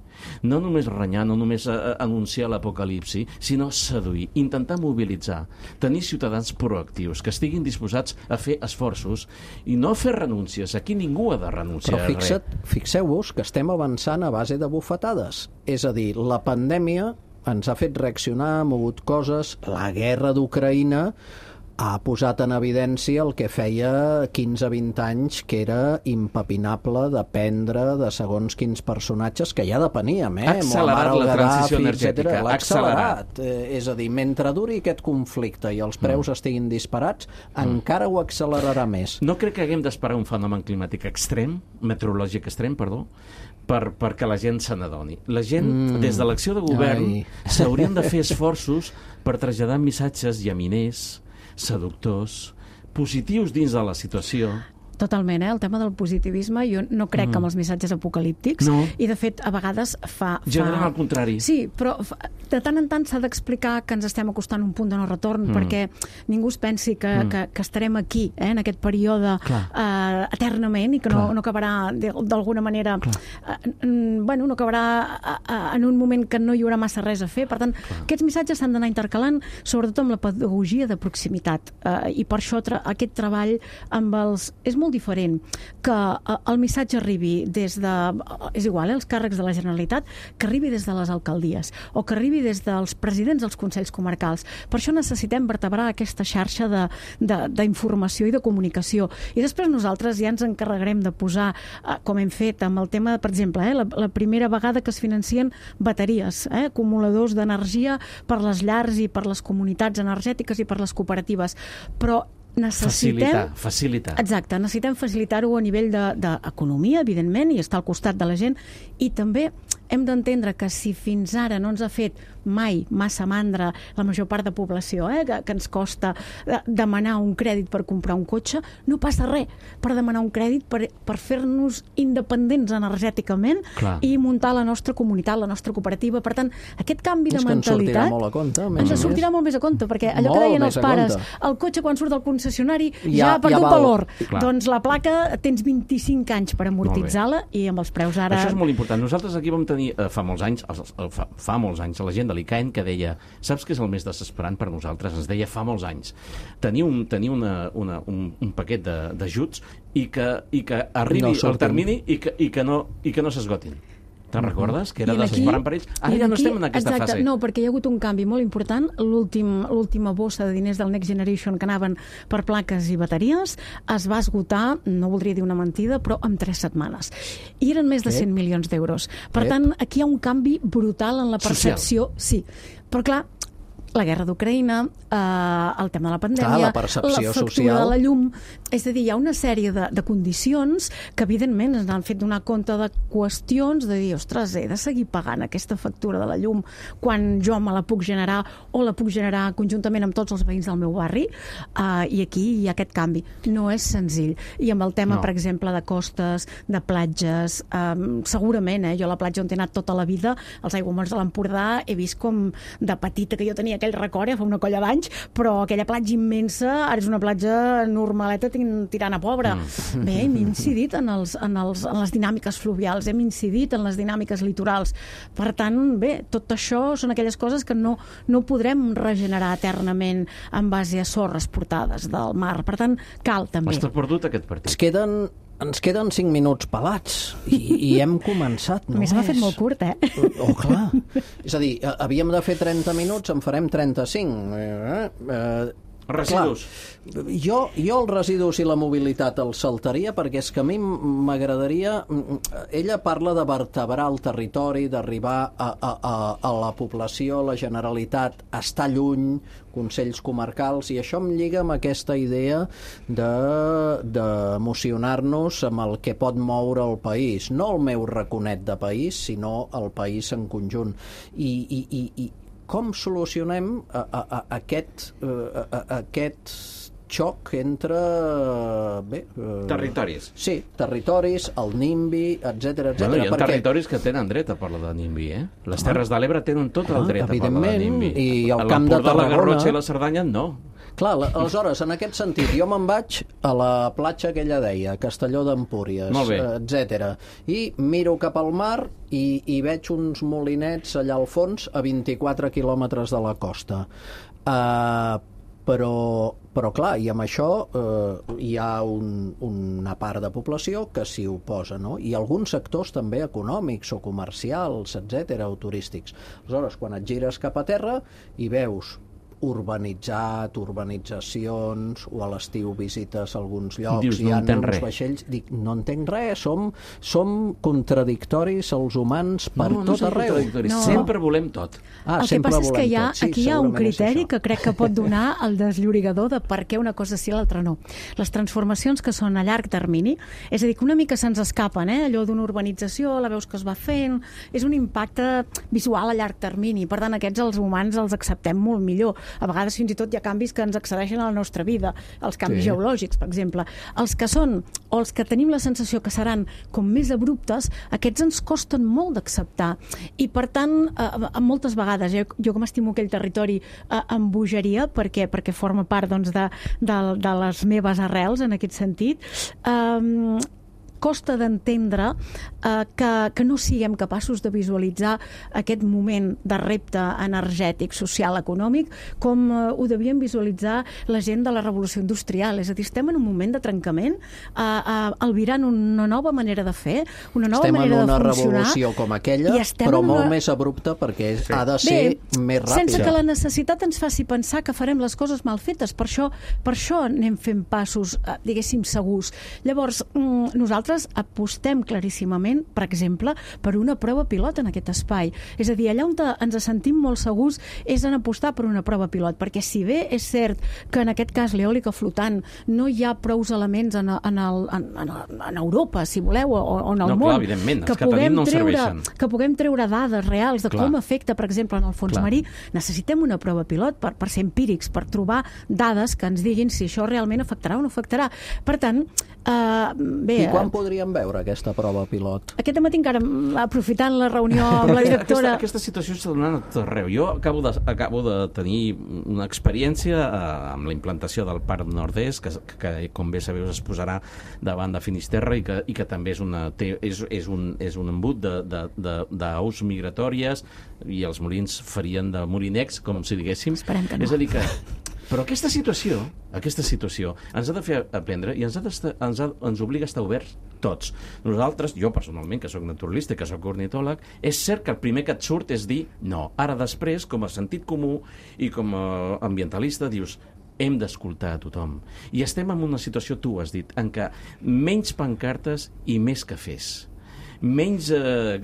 Speaker 4: No només renyar, no només a, a anunciar l'apocalipsi, sinó seduir. Intentar mobilitzar. Tenir ciutadans proactius, que estiguin disposats a fer esforços i no fer renúncies. Aquí ningú ha de renunciar
Speaker 2: Però fixa't,
Speaker 4: a res.
Speaker 2: Fixeu-vos que estem avançant a base de bufetades. És a dir, la pandèmia ens ha fet reaccionar, ha mogut coses, la guerra d'Ucraïna ha posat en evidència el que feia quinze a vint anys que era impepinable dependre de segons quins personatges que ja depeníem, eh?
Speaker 4: Ha accelerat la transició energètica.
Speaker 2: L'ha accelerat. Eh, és a dir, mentre duri aquest conflicte i els preus mm. estiguin disparats, mm. encara ho accelerarà més.
Speaker 4: No crec que haguem d'esperar un fenomen climàtic extrem, meteorològic extrem, perdó, per, perquè la gent se n'adoni. La gent, mm. des de l'acció de govern, s'haurien de fer esforços per traslladar missatges llaminers, seductors, positius dins de la situació.
Speaker 5: Totalment, eh? El tema del positivisme, jo no crec mm. que amb els missatges apocalíptics, no. i de fet a vegades fa... fa...
Speaker 4: Generen el contrari.
Speaker 5: Sí, però de tant en tant s'ha d'explicar que ens estem acostant a un punt de no retorn, mm. perquè ningú es pensi que, mm. que, que estarem aquí, eh, en aquest període eh, eternament, i que no, no acabarà d'alguna manera eh, bueno, no acabarà eh, en un moment que no hi haurà massa res a fer. Per tant, Clar. aquests missatges s'han d'anar intercalant, sobretot amb la pedagogia de proximitat, eh, i per això tra aquest treball amb els... És molt diferent que el missatge arribi des de, és igual, eh, els càrrecs de la Generalitat, que arribi des de les alcaldies o que arribi des dels presidents dels consells comarcals. Per això necessitem vertebrar aquesta xarxa d'informació i de comunicació. I després nosaltres ja ens encarregarem de posar, com hem fet amb el tema, per exemple, eh, la, la primera vegada que es financien bateries, eh, acumuladors d'energia per les llars i per les comunitats energètiques i per les cooperatives. Però necessitem...
Speaker 4: Facilitar, facilitar.
Speaker 5: Exacte, necessitem facilitar-ho a nivell d'economia, de, evidentment, i estar al costat de la gent, i també hem d'entendre que si fins ara no ens ha fet mai massa mandra la major part de població, eh, que, que ens costa demanar un crèdit per comprar un cotxe, no passa res per demanar un crèdit per, per fer-nos independents energèticament Clar. i muntar la nostra comunitat, la nostra cooperativa. Per tant, aquest canvi
Speaker 2: és
Speaker 5: de mentalitat
Speaker 2: ens sortirà molt a compte,
Speaker 5: ens sortirà molt més a compte, perquè allò molt que deien els pares, el cotxe quan surt del concessionari ja, ja ha perdut ja valor. Clar. Doncs la placa tens vint-i-cinc anys per amortitzar-la i amb els preus ara...
Speaker 4: Això és molt important. Nosaltres aquí vam tenir eh, fa molts anys, eh, fa, fa molts anys, la gent de l'I C A E N que deia, saps què és el més desesperant per nosaltres? Ens deia fa molts anys. Tenir un, tenir una, una, un, un paquet d'ajuts i, que, i que arribi no el termini i que, i que no, i que no s'esgotin. Te'n recordes? Que era desesperant per ells. Ara ja no aquí, estem en aquesta
Speaker 5: exacte,
Speaker 4: fase.
Speaker 5: No, perquè hi ha hagut un canvi molt important. L'última bossa de diners del Next Generation que anaven per plaques i bateries es va esgotar, no voldria dir una mentida, però en tres setmanes. I eren més de cent milions d'euros. Per tant, aquí hi ha un canvi brutal en la percepció. Social. Sí, però clar, la guerra d'Ucraïna, eh, el tema de la pandèmia,
Speaker 2: Clar, la percepció
Speaker 5: la factura
Speaker 2: social.
Speaker 5: de la llum... És a dir, hi ha una sèrie de, de condicions que, evidentment, ens han fet donar compte de qüestions de dir, ostres, he de seguir pagant aquesta factura de la llum quan jo me la puc generar o la puc generar conjuntament amb tots els veïns del meu barri, eh, i aquí hi ha aquest canvi. No és senzill. I amb el tema,
Speaker 4: No.
Speaker 5: per exemple, de costes, de platges, eh, segurament, eh, jo a la platja on he anat tota la vida, als aiguamolls de l'Empordà, he vist com de petita que jo tenia aquell record, ja fa una colla d'anys, però aquella platja immensa, ara és una platja normaleta tirant a pobre. Mm. Bé, hem incidit en, els, en, els, en les dinàmiques fluvials, hem incidit en les dinàmiques litorals. Per tant, bé, tot això són aquelles coses que no, no podrem regenerar eternament en base a sorres portades del mar. Per tant, cal també.
Speaker 4: Està perdut aquest partit.
Speaker 2: Ens queden, ens queden cinc minuts pelats i, i hem començat, no?
Speaker 5: A més, m'ha fet molt curt, eh?
Speaker 2: Oh, clar. És a dir, havíem de fer trenta minuts, en farem trenta-cinc. Eh? Eh,
Speaker 4: Residus.
Speaker 2: Clar, jo, jo els residus i la mobilitat els saltaria perquè és que a mi m'agradaria... Ella parla de vertebrar el territori, d'arribar a, a, a, a la població, a la Generalitat, estar lluny, consells comarcals, i això em lliga amb aquesta idea d'emocionar-nos amb el que pot moure el país. No el meu raconet de país, sinó el país en conjunt. I, i, i, i com solucionem a, a, a aquest, a, a, aquest xoc entre... Bé,
Speaker 4: territoris.
Speaker 2: Sí, territoris, el NIMBY, etcètera, etcètera.
Speaker 4: Bueno, hi ha
Speaker 2: perquè...
Speaker 4: territoris que tenen dret a parlar de NIMBY, eh? Les Terres de l'Ebre tenen tot el dret a parlar de
Speaker 2: evidentment,
Speaker 4: NIMBY.
Speaker 2: i el Camp de
Speaker 4: L'Empordà, la
Speaker 2: Tarragona...
Speaker 4: Garrotxa i la Cerdanya, no.
Speaker 2: Clar, aleshores, en aquest sentit, jo me'n vaig a la platja que ella deia, Castelló d'Empúries, etcètera, i miro cap al mar i, i veig uns molinets allà al fons a vint-i-quatre quilòmetres de la costa. Uh, però, però clar, i amb això eh, hi ha un, una part de població que s'hi oposa, no? I alguns sectors també econòmics o comercials, etcètera, o turístics. Aleshores, quan et gires cap a terra i veus urbanitzat, urbanitzacions, o a l'estiu visites alguns llocs,
Speaker 4: dius, no
Speaker 2: hi ha
Speaker 4: entenc
Speaker 2: uns
Speaker 4: res.
Speaker 2: vaixells, dic, no entenc res, som, som contradictoris els humans per
Speaker 4: no, no
Speaker 2: tot arreu.
Speaker 5: No.
Speaker 4: Sempre volem tot.
Speaker 2: Ah,
Speaker 5: el que
Speaker 2: sempre
Speaker 5: passa és que
Speaker 2: volem
Speaker 5: hi ha,
Speaker 2: tot. Sí,
Speaker 5: aquí hi ha un
Speaker 2: segurament és
Speaker 5: criteri
Speaker 2: això.
Speaker 5: que crec que pot donar el desllorigador de per què una cosa sí i l'altra no. Les transformacions que són a llarg termini, és a dir, que una mica se'ns escapen, eh? Allò d'una urbanització, la veus que es va fent, és un impacte visual a llarg termini, per tant aquests els humans els acceptem molt millor. A vegades fins i tot hi ha canvis que ens accedeixen a la nostra vida, els canvis
Speaker 2: Sí.
Speaker 5: geològics, per exemple. Els que són, o els que tenim la sensació que seran com més abruptes, aquests ens costen molt d'acceptar. I per tant, eh, moltes vegades, jo, jo com estimo aquell territori, eh, em bogeria perquè, perquè forma part doncs, de, de, de les meves arrels en aquest sentit. Eh, costa d'entendre eh, que, que no siguem capaços de visualitzar aquest moment de repte energètic, social, econòmic, com eh, ho devien visualitzar la gent de la revolució industrial. És a dir, estem en un moment de trencament, eh, eh, albirant una nova manera de fer, una nova
Speaker 2: estem
Speaker 5: manera de
Speaker 2: en una
Speaker 5: funcionar.
Speaker 2: revolució com aquella,
Speaker 5: i estem
Speaker 2: però
Speaker 5: en una-
Speaker 2: molt més abrupta perquè
Speaker 4: Sí.
Speaker 2: ha de ser
Speaker 5: Bé,
Speaker 2: més ràpida.
Speaker 5: sense que la necessitat ens faci pensar que farem les coses mal fetes. Per això, per això anem fent passos, eh, diguéssim, segurs. Llavors, mm, nosaltres apostem claríssimament, per exemple, per una prova pilot en aquest espai. És a dir, allà on ens sentim molt segurs és en apostar per una prova pilot, perquè si bé és cert que en aquest cas l'eòlica flotant no hi ha prous elements en, en, el, en, en, en Europa, si voleu, o, o en el
Speaker 4: No,
Speaker 5: món,
Speaker 4: clar, evidentment, els
Speaker 5: que
Speaker 4: que tenim
Speaker 5: puguem
Speaker 4: no ens
Speaker 5: treure,
Speaker 4: serveixen.
Speaker 5: que puguem treure dades reals de
Speaker 4: Clar.
Speaker 5: com afecta, per exemple, en el fons
Speaker 2: Clar.
Speaker 5: marí, necessitem una prova pilot per, per ser empírics, per trobar dades que ens diguin si això realment afectarà o no afectarà. Per tant, eh, bé...
Speaker 2: I quan podríem veure aquesta prova pilot?
Speaker 5: Aquest matí encara, aprofitant la reunió amb la directora...
Speaker 4: Aquesta, aquesta situació està donant a tot arreu. Jo acabo de, acabo de tenir una experiència eh, amb la implantació del Parc Nord-est, que, que, com bé sabeu, es posarà davant de Finisterra i que, i que també és, una, té, és, és, un, és un embut d'aus migratòries, i els molins farien de molinecs, com si diguéssim.
Speaker 5: Esperem que no.
Speaker 4: És a dir que... Però aquesta situació, aquesta situació ens ha de fer aprendre i ens, ha ens, ha, ens obliga a estar oberts tots. Nosaltres, jo personalment, que sóc naturalista i que sóc ornitòleg, és cert que el primer que et surt és dir no. Ara després, com a sentit comú i com a ambientalista, dius hem d'escoltar a tothom. I estem en una situació, tu has dit, en què menys pancartes i més cafès. menys eh,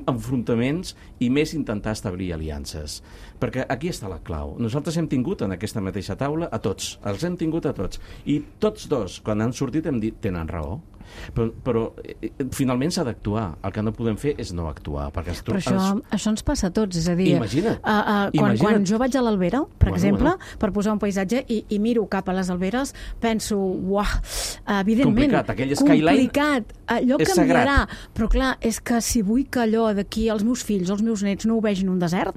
Speaker 4: enfrontaments i més intentar establir aliances. Perquè aquí està la clau. Nosaltres hem tingut en aquesta mateixa taula a tots, els hem tingut a tots. I tots dos, quan han sortit, hem dit, tenen raó. Però, però eh, finalment s'ha d'actuar. El que no podem fer és no actuar. Perquè els,
Speaker 5: però això,
Speaker 4: els...
Speaker 5: això ens passa a tots, és a dir...
Speaker 4: Imagina't.
Speaker 5: Uh, uh, quan,
Speaker 4: Imagina't.
Speaker 5: quan jo vaig a l'Albera, per
Speaker 4: Bueno,
Speaker 5: exemple,
Speaker 4: bueno.
Speaker 5: per posar un paisatge, i, i miro cap a les Alberes, penso, uah, evidentment...
Speaker 4: Complicat, aquell skyline
Speaker 5: complicat, allò
Speaker 4: és
Speaker 5: canviarà.
Speaker 4: sagrat.
Speaker 5: Però clar, és que si vull que allò d'aquí els meus fills, els meus nets, no ho vegin un desert,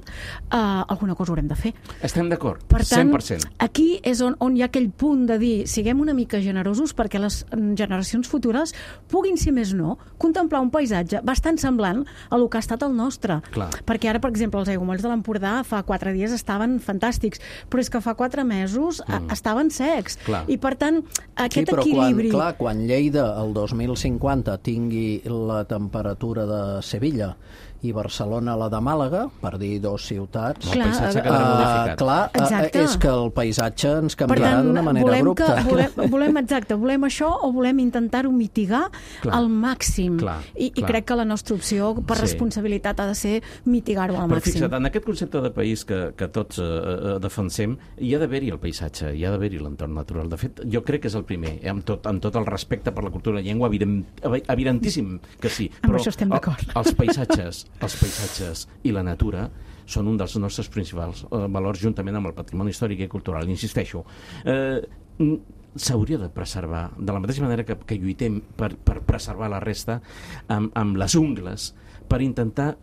Speaker 5: uh, alguna cosa haurem de fer.
Speaker 4: Estem d'acord,
Speaker 5: Per tant,
Speaker 4: cent per cent.
Speaker 5: aquí és on, on hi ha aquell punt de dir, siguem una mica generosos perquè les generacions futures puguin, si més no, contemplar un paisatge bastant semblant a el que ha estat el nostre.
Speaker 4: Clar.
Speaker 5: Perquè ara, per exemple, els aiguamolls de l'Empordà fa quatre dies estaven fantàstics, però és que fa quatre mesos mm. estaven secs.
Speaker 4: Clar.
Speaker 5: I per tant, aquest
Speaker 2: sí, però
Speaker 5: equilibri...
Speaker 2: Quan, clar, quan Lleida el dos mil cinquanta tingui la temperatura de Sevilla i Barcelona la de Màlaga, per dir dos ciutats...
Speaker 4: El paisatge quedarà
Speaker 2: uh,
Speaker 4: modificat.
Speaker 2: Clar, uh,
Speaker 5: Exacte.
Speaker 2: és que el paisatge ens
Speaker 5: Per
Speaker 2: canviarà
Speaker 5: tant,
Speaker 2: d'una manera
Speaker 5: volem
Speaker 2: abrupta.
Speaker 5: Que, volem, volem, exacte, volem això o volem intentar-ho mitigar
Speaker 4: Clar.
Speaker 5: al màxim.
Speaker 4: Clar,
Speaker 5: I, I
Speaker 4: clar.
Speaker 5: crec que la nostra opció, per
Speaker 4: Sí.
Speaker 5: responsabilitat, ha de ser mitigar-ho al
Speaker 4: Però
Speaker 5: màxim.
Speaker 4: fixa't, en aquest concepte de país que, que tots eh, eh, defensem, hi ha d'haver-hi el paisatge, hi ha d'haver-hi l'entorn natural. De fet, jo crec que és el primer, eh, amb, tot, amb tot el respecte per la cultura i la llengua, evident, evidentíssim que sí.
Speaker 5: Amb
Speaker 4: Però
Speaker 5: això estem d'acord.
Speaker 4: el, els paisatges, els paisatges i la natura són un dels nostres principals eh, valors, juntament amb el patrimoni històric i cultural. Insisteixo, eh, s'hauria de preservar, de la mateixa manera que, que lluitem per, per preservar la resta amb, amb les ungles, per intentar...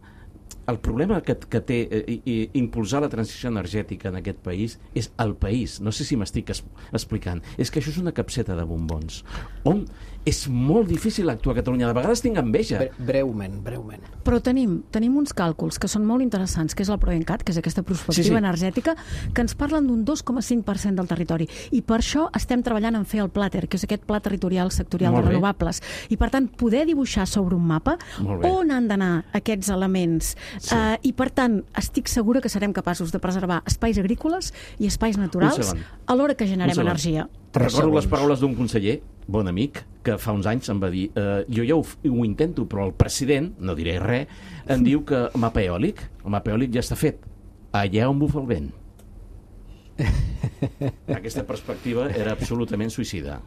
Speaker 4: El problema que, que té eh, i, impulsar la transició energètica en aquest país és el país. No sé si m'estic es, explicant. És que això és una capseta de bombons. On és molt difícil actuar a Catalunya. De vegades tinc enveja.
Speaker 2: Bre breument, breument.
Speaker 5: Però tenim, tenim uns càlculs que són molt interessants, que és la PROENCAT, que és aquesta perspectiva
Speaker 4: Sí, sí.
Speaker 5: energètica, que ens parlen d'un dos coma cinc per cent del territori. I per això estem treballant en fer el PLATER, que és aquest Pla Territorial Sectorial
Speaker 4: Molt
Speaker 5: de
Speaker 4: bé.
Speaker 5: Renovables. I per tant, poder dibuixar sobre un mapa
Speaker 4: Molt bé.
Speaker 5: on han d'anar aquests elements.
Speaker 4: Sí.
Speaker 5: Uh, I per tant, estic segura que serem capaços de preservar espais agrícoles i espais naturals
Speaker 4: segon.
Speaker 5: alhora que generem
Speaker 4: Un segon.
Speaker 5: energia.
Speaker 4: Recordo les
Speaker 2: segons.
Speaker 4: paraules d'un conseller, bon amic, que fa uns anys em va dir eh, jo ja ho, ho intento, però el president, no diré res, em diu que el mapa eòlic, el mapa eòlic ja està fet, allà on bufa el vent. Aquesta perspectiva era absolutament suïcida.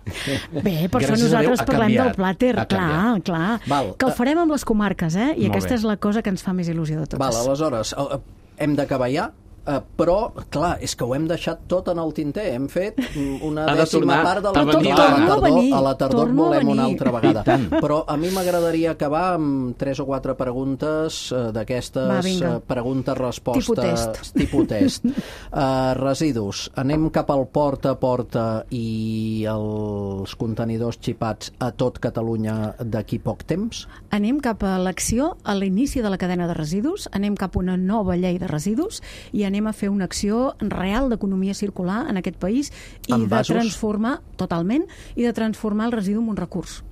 Speaker 5: Bé, per
Speaker 4: Gràcies
Speaker 5: això
Speaker 4: a Déu,
Speaker 5: nosaltres
Speaker 4: ha
Speaker 5: parlem
Speaker 4: canviat.
Speaker 5: del Plàter,
Speaker 4: Ha
Speaker 5: clar,
Speaker 4: canviat.
Speaker 5: clar.
Speaker 2: Val.
Speaker 5: Que el farem amb les comarques, eh? I
Speaker 4: Molt
Speaker 5: aquesta
Speaker 4: bé.
Speaker 5: és la cosa que ens fa més il·lusió de totes.
Speaker 2: Val, aleshores, eh, hem d'acabar ja, eh, però, clar, és que ho hem deixat tot en el tinter. Hem fet mm, una
Speaker 4: Ha de
Speaker 2: dècima
Speaker 4: tornar
Speaker 2: part de
Speaker 4: a
Speaker 2: la
Speaker 4: venir.
Speaker 2: Clar,
Speaker 4: Torno
Speaker 2: a la
Speaker 5: a
Speaker 2: tardor,
Speaker 5: venir,
Speaker 2: a la tardor
Speaker 5: torno a
Speaker 2: volem una
Speaker 5: venir.
Speaker 2: altra vegada.
Speaker 4: I tant.
Speaker 2: Però a mi m'agradaria acabar amb tres o quatre preguntes eh,
Speaker 5: Va,
Speaker 2: d'aquestes
Speaker 5: vinga.
Speaker 2: eh, preguntes-respostes
Speaker 5: Tipus test.
Speaker 2: tipus test. Uh, residus. Anem cap al porta a porta i els contenidors xipats a tot Catalunya d'aquí poc temps?
Speaker 5: Anem cap a l'acció a l'inici de la cadena de residus, anem cap a una nova llei de residus i anem a fer una acció real d'economia circular en aquest país i
Speaker 2: Amb
Speaker 5: de
Speaker 2: vasos?
Speaker 5: transformar, totalment, i de transformar el residu en un recurs.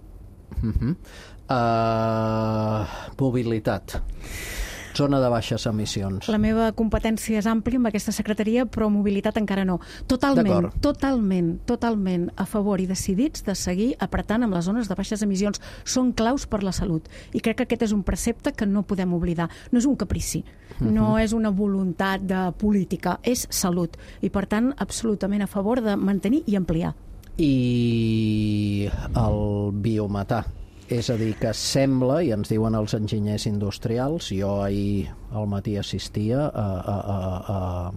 Speaker 2: Uh -huh. uh, mobilitat. Zona de baixes emissions.
Speaker 5: La meva competència és àmplia amb aquesta secretaria, però mobilitat encara no. Totalment,
Speaker 2: D'acord.
Speaker 5: totalment, totalment a favor i decidits de seguir apretant amb les zones de baixes emissions. Són claus per la salut. I crec que aquest és un precepte que no podem oblidar. No és un caprici, no és una voluntat de política, és salut. I, per tant, absolutament a favor de mantenir i ampliar.
Speaker 2: I el biometà. És a dir, que sembla, i ens diuen els enginyers industrials, jo ahir al matí assistia a, a, a, a,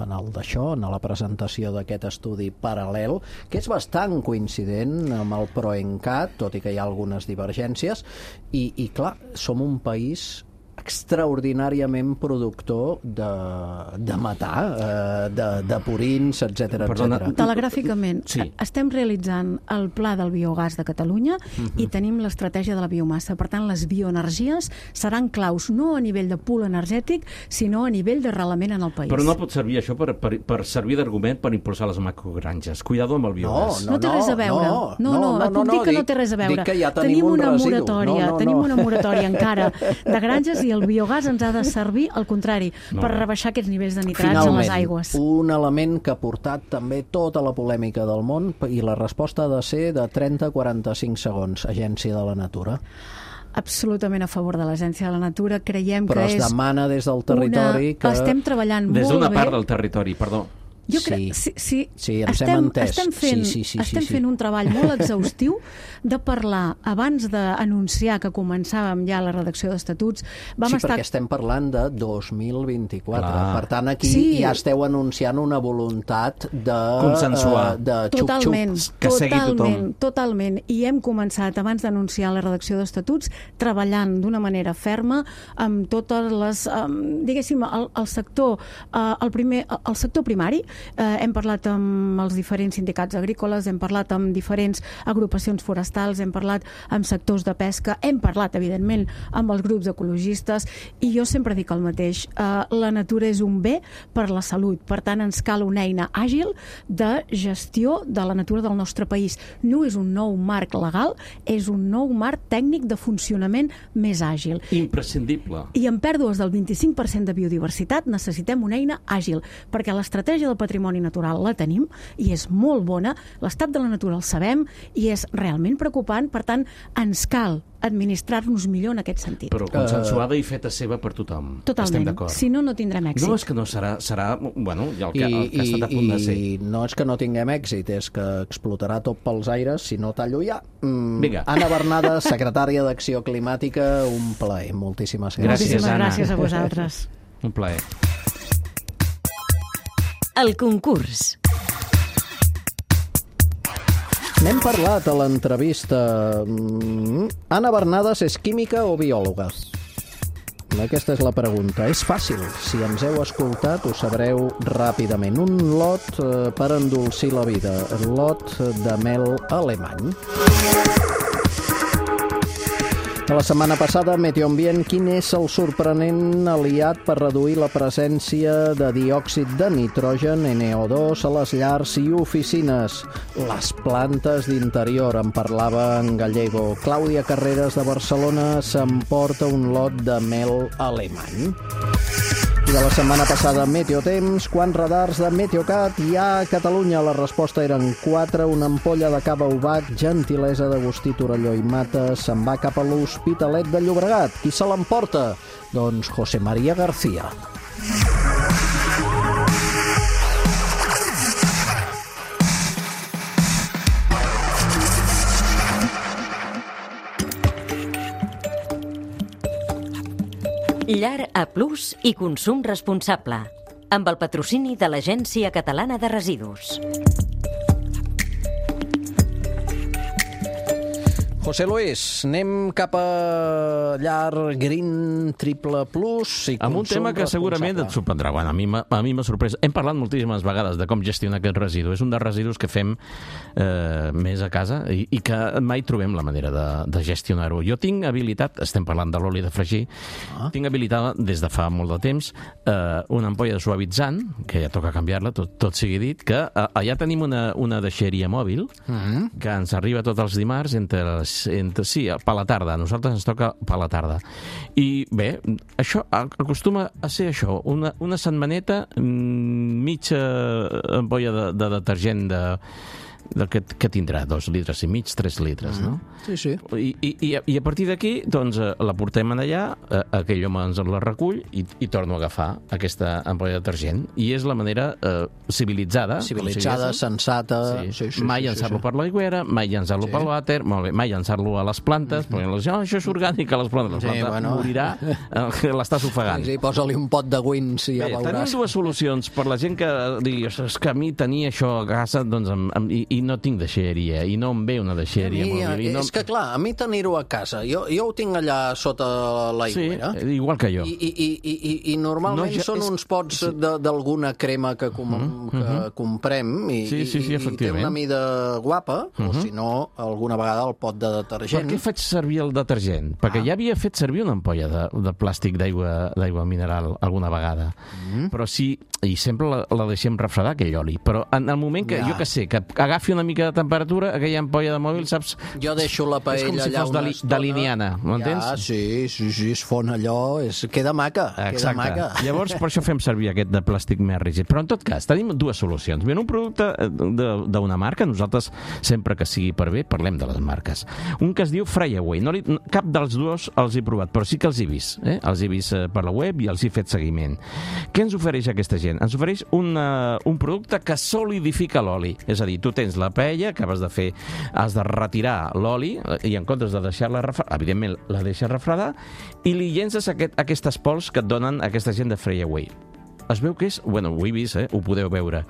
Speaker 2: en el d'això, en la presentació d'aquest estudi paral·lel, que és bastant coincident amb el PROENCAT, tot i que hi ha algunes divergències, i, i clar, som un país extraordinàriament productor de, de metà, eh, de, de purins, etcètera,
Speaker 4: Perdona,
Speaker 2: etcètera.
Speaker 5: Telegràficament,
Speaker 4: Sí.
Speaker 5: estem realitzant el pla del biogàs de Catalunya uh-huh. i tenim l'estratègia de la biomassa. Per tant, les bioenergies seran claus no a nivell de pool energètic, sinó a nivell d'arrelament en el país.
Speaker 4: Però no pot servir això per, per, per servir d'argument per impulsar les macrogranges. Cuidado amb el biogàs.
Speaker 5: No té res a veure. No, no, no, et puc dir que no té res a veure.
Speaker 2: Dic que ja tenim,
Speaker 5: tenim
Speaker 2: un
Speaker 5: una
Speaker 2: residu.
Speaker 5: moratòria,
Speaker 2: No, no,
Speaker 5: tenim
Speaker 2: no.
Speaker 5: una moratòria encara de granges i el biogàs ens ha de servir al contrari,
Speaker 4: Molt
Speaker 5: per
Speaker 4: bé.
Speaker 5: rebaixar aquests nivells de nitrats en les aigües.
Speaker 2: un element que ha portat també tota la polèmica del món, i la resposta ha de ser de trenta a quaranta-cinc segons, Agència de la Natura.
Speaker 5: absolutament a favor de l'Agència de la Natura. Creiem
Speaker 2: Però
Speaker 5: que
Speaker 2: es
Speaker 5: és
Speaker 2: demana des del territori
Speaker 5: una...
Speaker 2: que...
Speaker 5: Estem treballant
Speaker 4: Des
Speaker 5: molt bé.
Speaker 4: d'una part del territori, perdó.
Speaker 5: Jo
Speaker 2: Sí.
Speaker 5: crec, sí, sí,
Speaker 2: Sí, ens
Speaker 5: estem,
Speaker 2: hem entès.
Speaker 5: estem fent,
Speaker 2: Sí, sí, sí,
Speaker 5: estem
Speaker 2: sí, sí.
Speaker 5: fent un treball molt exhaustiu de parlar, abans d'anunciar que començàvem ja la redacció d'estatuts, vam
Speaker 2: sí,
Speaker 5: estar...
Speaker 2: perquè estem parlant de dos mil vint-i-quatre.
Speaker 4: Clar.
Speaker 2: Per tant, aquí
Speaker 5: Sí.
Speaker 2: ja esteu anunciant una voluntat de...
Speaker 4: Consensuar.
Speaker 2: eh, de xup-xup.
Speaker 5: Totalment,
Speaker 4: que segui
Speaker 5: totalment,
Speaker 4: tothom.
Speaker 5: totalment. I hem començat, abans d'anunciar la redacció d'estatuts, treballant d'una manera ferma amb totes les, um, diguéssim, el, el sector, uh, el, primer, el sector primari. Uh, hem parlat amb els diferents sindicats agrícoles, hem parlat amb diferents agrupacions forestals, hem parlat amb sectors de pesca, hem parlat, evidentment, amb els grups ecologistes, i jo sempre dic el mateix, uh, la natura és un bé per la salut, per tant ens cal una eina àgil de gestió de la natura del nostre país. No és un nou marc legal, és un nou marc tècnic de funcionament més àgil.
Speaker 4: Imprescindible.
Speaker 5: I amb pèrdues del vint-i-cinc per cent de biodiversitat necessitem una eina àgil, perquè l'estratègia del patrimoni natural la tenim i és molt bona, l'estat de la natura el sabem i és realment preocupant, per tant ens cal administrar-nos millor en aquest sentit.
Speaker 4: Però consensuada i feta seva per tothom. Estem
Speaker 5: Totalment.
Speaker 4: d'acord.
Speaker 5: Si no, no tindrem èxit.
Speaker 4: No, és que no serà, serà bueno, ja el que,
Speaker 2: I,
Speaker 4: el que ha estat a punt de ser.
Speaker 2: I no és que no tinguem èxit, és que explotarà tot pels aires si no tallo ja. Mm,
Speaker 4: Vinga.
Speaker 2: Anna Bernada, secretària d'Acció Climàtica, un plaer. Moltíssimes gràcies.
Speaker 4: Gràcies,
Speaker 5: Moltíssimes
Speaker 4: Anna.
Speaker 5: gràcies a vosaltres.
Speaker 4: Un plaer.
Speaker 1: El concurs.
Speaker 2: N'hem parlat a l'entrevista. Mm, Anna Bernades és química o biòloga? Aquesta és la pregunta. És fàcil. Si ens heu escoltat, ho sabreu ràpidament. Un lot eh, per endolcir la vida. Lot de mel alemany. La setmana passada, Meteoambient, quin és el sorprenent aliat per reduir la presència de diòxid de nitrogen, N O dos, a les llars i oficines? Les plantes d'interior, en parlava en gallego. Clàudia Carreras, de Barcelona, s'emporta un lot de mel alemany. I de la setmana passada, Meteotemps, quants radars de Meteocat hi ha a Catalunya? La resposta eren quatre, una ampolla de cava Ubac, gentilesa d'Agustí Torelló i Mata, se'n va cap a l'Hospitalet de Llobregat. Qui se l'emporta? Doncs José María García.
Speaker 1: Llar A Plus i consum responsable. Amb el patrocini de l'Agència Catalana de Residus.
Speaker 2: José Luis, anem cap a llar Green Triple Plus i
Speaker 4: Amb un
Speaker 2: consum
Speaker 4: tema que segurament et
Speaker 2: responsable.
Speaker 4: sorprendrà. Bueno, a mi m'ha a mi m'ha sorprès. Hem parlat moltíssimes vegades de com gestionar aquest residu. És un dels residus que fem eh, més a casa i, i que mai trobem la manera de, de gestionar-ho. Jo tinc habilitat, estem parlant de l'oli de fregir, ah. tinc habilitada des de fa molt de temps eh, una ampolla de suavitzant, que ja toca canviar-la, tot, tot sigui dit, que eh, allà tenim una, una deixeria mòbil mm-hmm. que ens arriba tots els dimarts entre les Entre, sí, per la tarda. A nosaltres ens toca per la tarda. I bé, això acostuma a ser això, una, una setmaneta, mitja ampolla de, de detergent de, de que, que tindrà dos litres i mig, tres litres, no?
Speaker 2: Sí, sí.
Speaker 4: I, i, i a partir d'aquí, doncs, la portem allà, aquell home ens la recull i, i torno a agafar aquesta ampolla de detergent. I és la manera eh, civilitzada.
Speaker 2: Civilitzada,
Speaker 4: si
Speaker 2: sensata...
Speaker 4: Sí.
Speaker 2: Sí, sí,
Speaker 4: mai
Speaker 2: sí,
Speaker 4: llançar-lo
Speaker 2: sí,
Speaker 4: per l'aigüera, mai llançar-lo
Speaker 2: Sí.
Speaker 4: per l'àter, molt bé, mai llançar-lo a les plantes, mm -hmm. perquè oh, això és orgànic a les plantes. La
Speaker 2: Sí,
Speaker 4: planta
Speaker 2: bueno.
Speaker 4: morirà, eh, l'estàs ofegant.
Speaker 2: Sí, posa-li un pot de wins i ja
Speaker 4: Bé, tenim
Speaker 2: veuràs.
Speaker 4: dues solucions per la gent que digui és que a mi tenir això a casa doncs, em, em, i, i no tinc deixeria, i no em ve una deixeria.
Speaker 2: A mi,
Speaker 4: molt bé, i no...
Speaker 2: és que clar, a mi tenir-ho a casa, jo, jo ho tinc allà sota l'aigüera.
Speaker 4: Sí, igual que jo.
Speaker 2: I, i, i, i, i normalment
Speaker 4: No,
Speaker 2: no,
Speaker 4: jo-
Speaker 2: són
Speaker 4: és-
Speaker 2: uns pots
Speaker 4: sí.
Speaker 2: de- d'alguna crema que, com, mm -hmm. que comprem i,
Speaker 4: Sí, sí, sí,
Speaker 2: i, i té
Speaker 4: efectivament.
Speaker 2: una mida guapa, mm -hmm. o si no, alguna vegada el pot de
Speaker 4: Per
Speaker 2: detergent.
Speaker 4: què faig servir el detergent? Perquè
Speaker 2: Ah.
Speaker 4: ja havia fet servir una ampolla de, de plàstic d'aigua d'aigua mineral alguna vegada. Mm. Però sí, i sempre la, la deixem refredar, aquell oli. Però en el moment que,
Speaker 2: Ja.
Speaker 4: jo que sé, que agafi agafi una mica de temperatura, aquella ampolla de mòbil, saps?
Speaker 2: Jo deixo la paella
Speaker 4: és com si
Speaker 2: allà
Speaker 4: fos
Speaker 2: una
Speaker 4: de,
Speaker 2: estona.
Speaker 4: de liniana, m'entens?
Speaker 2: Ja, sí, sí, sí, es fon allò, és... queda maca,
Speaker 4: Exacte.
Speaker 2: queda maca.
Speaker 4: Llavors, per això fem servir aquest de plàstic més rígid. Però, en tot cas, tenim dues solucions. Bé, un producte d'una marca, nosaltres, sempre que sigui per bé, parlem de les marques. Un que es diu Fryaway. No li, cap dels dos els he provat, però sí que els he vist. Eh? Els he vist per la web i els he fet seguiment. Què ens ofereix aquesta gent? Ens ofereix una, un producte que solidifica l'oli. És a dir, tu tens la paella, acabes de fer, has de retirar l'oli i en comptes de deixar-la refredar, evidentment la deixes refredar i li llences aquest, aquestes pols que et donen aquesta gent de Fryaway. Es veu que és... Bueno, ho he vist, eh? Ho podeu veure.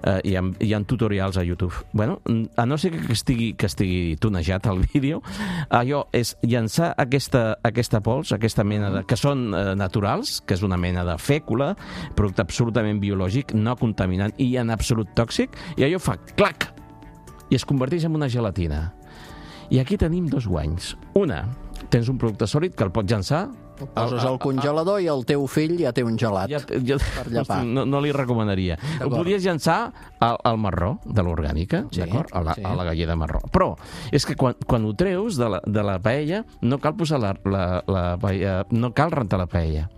Speaker 4: Uh, hi, ha, hi ha tutorials a YouTube. Bueno, a no ser que estigui, que estigui tunejat el vídeo, allò és llançar aquesta, aquesta pols, aquesta mena de... que són uh, naturals, que és una mena de fècula, producte absolutament biològic, no contaminant i en absolut tòxic, i allò fa clac! I es converteix en una gelatina. I aquí tenim dos guanys. Una, tens un producte sòlid que el pots llançar.
Speaker 2: Ho poses al congelador i el teu fill ja té un gelat
Speaker 4: ja, ja,
Speaker 2: per llepar.
Speaker 4: No, no li recomanaria. Ho podries llançar al, al marró de l'orgànica,
Speaker 2: sí,
Speaker 4: d'acord? A, la,
Speaker 2: sí.
Speaker 4: a la galleda marró. Però és que quan, quan ho treus de la, de la paella, no cal posar la, la, la paella, no cal rentar la paella.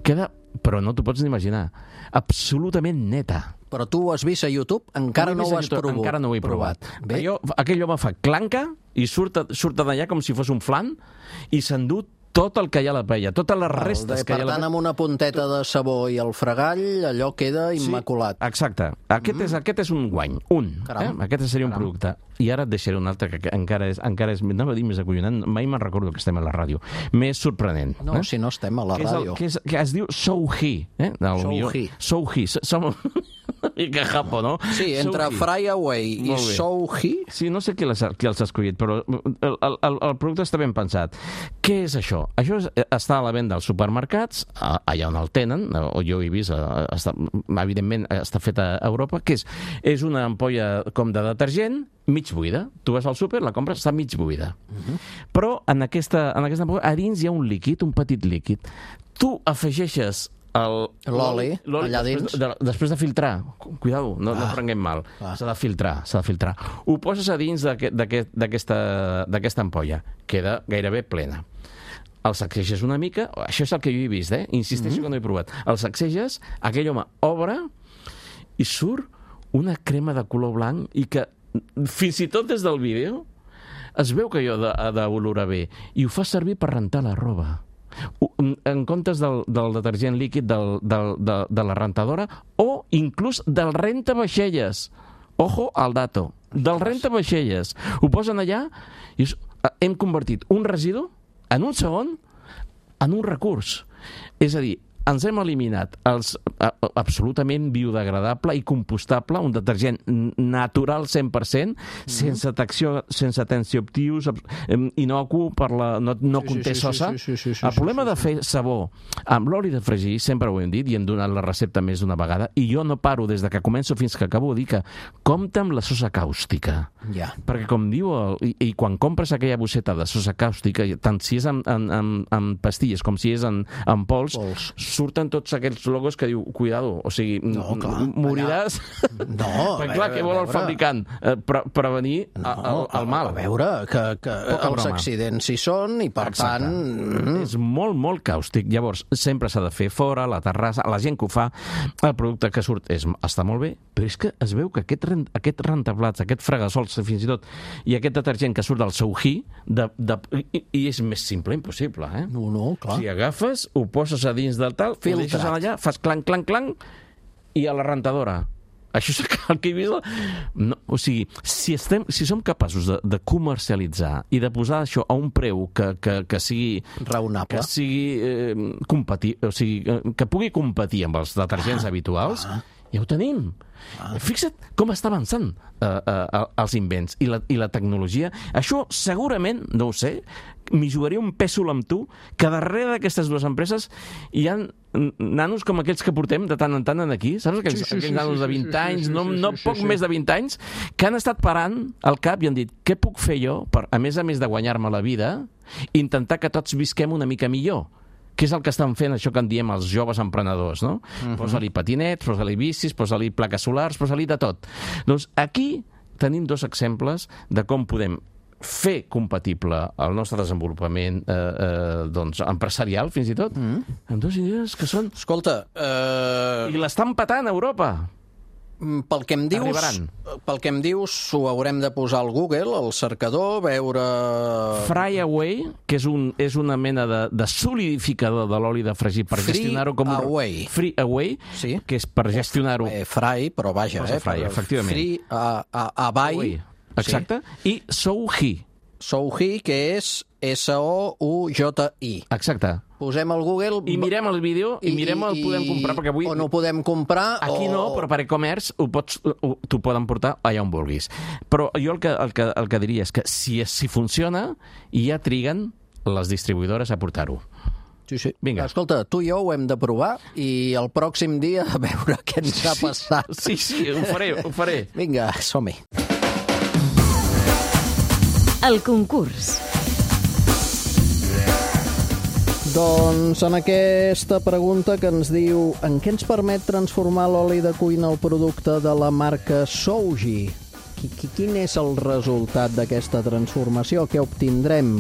Speaker 4: Queda, però no t'ho pots ni imaginar, absolutament neta.
Speaker 2: Però tu ho has vist a YouTube? Encara no ho has provat.
Speaker 4: Encara no ho he provat.
Speaker 2: Bé.
Speaker 4: Allò, aquell home fa clanca i surt, surt d'allà com si fos un flan i s'endú tot el que hi ha a la paella, totes les restes
Speaker 2: de,
Speaker 4: que hi ha a la paella.
Speaker 2: Per tant, amb una punteta de sabó i el fregall, allò queda immaculat.
Speaker 4: Sí, exacte. Aquest, mm. és, aquest és un guany, un. Eh? Aquest seria un
Speaker 2: Caram.
Speaker 4: producte. I ara et deixaré un altre que encara és, encara és anava a dir més acollonant, mai me'n recordo que estem a la ràdio. Més sorprenent.
Speaker 2: No,
Speaker 4: eh?
Speaker 2: si no estem a la
Speaker 4: que
Speaker 2: ràdio.
Speaker 4: El, que, és, que es diu Souhi. Eh?
Speaker 2: Souhi.
Speaker 4: Souhi. Som una mica japo, no?
Speaker 2: Sí, entre Fryaway i Souhi.
Speaker 4: Sí, no sé qui, les, qui els ha escollit, però el, el, el producte està ben pensat. Què és això? Això és, està a la venda als supermercats, allà on el tenen, o jo he vist, està, evidentment està fet a Europa, que és, és una ampolla com de detergent, mig buida. Tu vas al súper, la compres, està mig buida. Uh-huh. Però en aquesta, en aquesta ampolla, a dins hi ha un líquid, un petit líquid. Tu afegeixes
Speaker 2: l'oli allà dins.
Speaker 4: Després de, després de filtrar. Cuidado, no, ah, no prenguem mal. Ah. S'ha de filtrar, s'ha de filtrar. Ho poses a dins d'aquesta ampolla. Queda gairebé plena. El sacseges una mica, això és el que jo he vist, eh? Insisteixo mm-hmm. que no he provat. El sacseges, aquell home obre i surt una crema de color blanc i que fins i tot des del vídeo es veu que allò ha d'olorar bé i ho fa servir per rentar la roba. En comptes del, del detergent líquid del, del, de, de la rentadora o inclús del rentavaixelles. Ojo al dato. Del rentavaixelles. Ho posen allà i hem convertit un residu en un segon en un recurs. És a dir, ens hem eliminat els, a, absolutament biodegradable i compostable, un detergent natural cent per cent, mm-hmm. sense, tacció, sense tensioactius, inocu, per la, no, no sí, conté sí, sosa. Sí, sí, sí, sí, sí, el problema sí, sí, sí. de fer sabó amb l'oli de fregir, sempre ho hem dit i hem donat la recepta més d'una vegada, i jo no paro des de que començo fins que acabo de dir que compta amb la sosa càustica.
Speaker 2: Yeah.
Speaker 4: Perquè com diu, el, i, i quan compres aquella bosseta de sosa càustica, tant si és en, en, en, en pastilles com si és en, en pols, pols, surten tots aquells logos que diu, cuidado, o sigui,
Speaker 2: no, clar,
Speaker 4: moriràs...
Speaker 2: Allà... No,
Speaker 4: perquè clar, què vol el fabricant? Eh, pre prevenir no, el, el mal.
Speaker 2: A veure, que, que els accidents hi són i, per Exacte. tant...
Speaker 4: És molt, molt càustic. Llavors, sempre s'ha de fer fora, a la terrassa, la gent que ho fa, el producte que surt és, està molt bé, però és que es veu que aquest, rent, aquest rentaplats, aquest fregassols, fins i tot, i aquest detergent que surt del Souhi, de, de, i, i és més simple impossible, eh?
Speaker 2: No, no, clar.
Speaker 4: Si agafes, ho poses a dins del tal, ho deixes allà, fas clanc, clanc, clanc, i a la rentadora. Això és el que he vist. No, o sigui, si, estem, si som capaços de, de comercialitzar i de posar això a un preu que, que, que sigui...
Speaker 2: raonable.
Speaker 4: Que sigui eh, compati, o sigui, que pugui competir amb els detergents ah, habituals, ah. ja ho tenim. Ah. Fixa't com està avançant eh, eh, els invents i la, i la tecnologia. Això segurament, no ho sé, m'hi jugaria un pèsol amb tu, que darrere d'aquestes dues empreses hi ha nanos com aquells que portem de tant en tant aquí, saps? Aquells, sí, sí, aquells sí, nanos sí, de vint sí, anys, sí, no, sí, no sí, poc sí, més de vint anys, que han estat parant al cap i han dit, què puc fer jo, per, a més a més de guanyar-me la vida, intentar que tots visquem una mica millor, que és el que estan fent això que en diem els joves emprenedors, no? Uh-huh. Posa-li patinets, posa-li bicis, posa-li plaques solars, posa-li de tot. Doncs aquí
Speaker 6: tenim dos exemples de com podem fer compatible el nostre desenvolupament eh, eh, doncs, empresarial, fins i tot, mm. amb dues idees que són...
Speaker 2: Escolta... Uh...
Speaker 6: I l'estan patant a Europa.
Speaker 2: Pel que em dius, Arribaran. pel que em dius, ho haurem de posar al Google, al cercador, veure...
Speaker 6: Fryaway, que és, un, és una mena de, de solidificador de l'oli de fregir per
Speaker 2: Free
Speaker 6: gestionar-ho com...
Speaker 2: Away.
Speaker 6: Free Away,
Speaker 2: sí.
Speaker 6: que és per gestionar-ho...
Speaker 2: Eh, fry, però vaja, eh?
Speaker 6: Fry, efectivament.
Speaker 2: Free a, a, Away.
Speaker 6: Away. Exacte. Sí. I Souhi.
Speaker 2: Souhi, que és S O U J I.
Speaker 6: Exacte.
Speaker 2: Posem al Google...
Speaker 6: I mirem el vídeo i, i mirem el podem comprar, perquè avui...
Speaker 2: O no podem comprar...
Speaker 6: Aquí
Speaker 2: o...
Speaker 6: no, però per e-commerce ho pots, t'ho poden portar allà on vulguis. Però jo el que, el que, el que diria és que si, si funciona, ja triguen les distribuïdores a portar-ho.
Speaker 2: Sí, sí.
Speaker 6: Vinga.
Speaker 2: Escolta, tu i jo ho hem de provar i el pròxim dia a veure què ens ha passat.
Speaker 6: Sí, sí, ho faré, ho faré.
Speaker 2: Vinga, som-hi.
Speaker 1: El concurs.
Speaker 2: Doncs en aquesta pregunta que ens diu en què ens permet transformar l'oli de cuina al producte de la marca Sougi? Quin és el resultat d'aquesta transformació? Què obtindrem?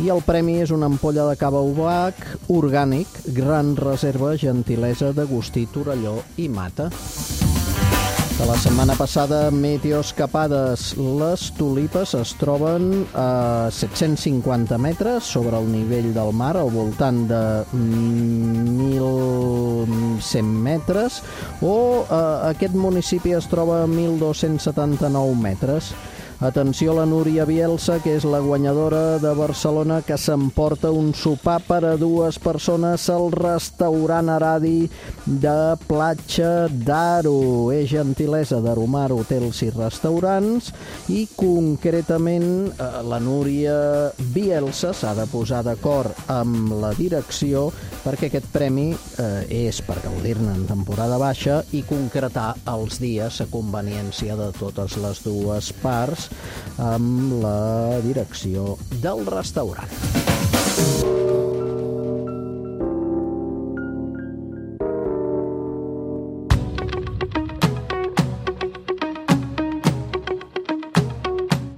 Speaker 2: I el premi és una ampolla de cava Ubac orgànic, gran reserva, gentilesa d'Agustí Torelló i Mata. De la setmana passada, Meteoscapades. Les tulipes es troben a set-cents cinquanta metres sobre el nivell del mar, al voltant de mil cent metres, o eh, aquest municipi es troba a mil dos-cents setanta-nou metres. Atenció a la Núria Bielsa, que és la guanyadora de Barcelona, que s'emporta un sopar per a dues persones al restaurant Aradi de Platja d'Aro. És gentilesa d'Aromar Hotels i Restaurants i, concretament, la Núria Bielsa s'ha de posar d'acord amb la direcció perquè aquest premi eh, és per gaudir-ne en temporada baixa i concretar els dies a conveniència de totes les dues parts amb la direcció del restaurant.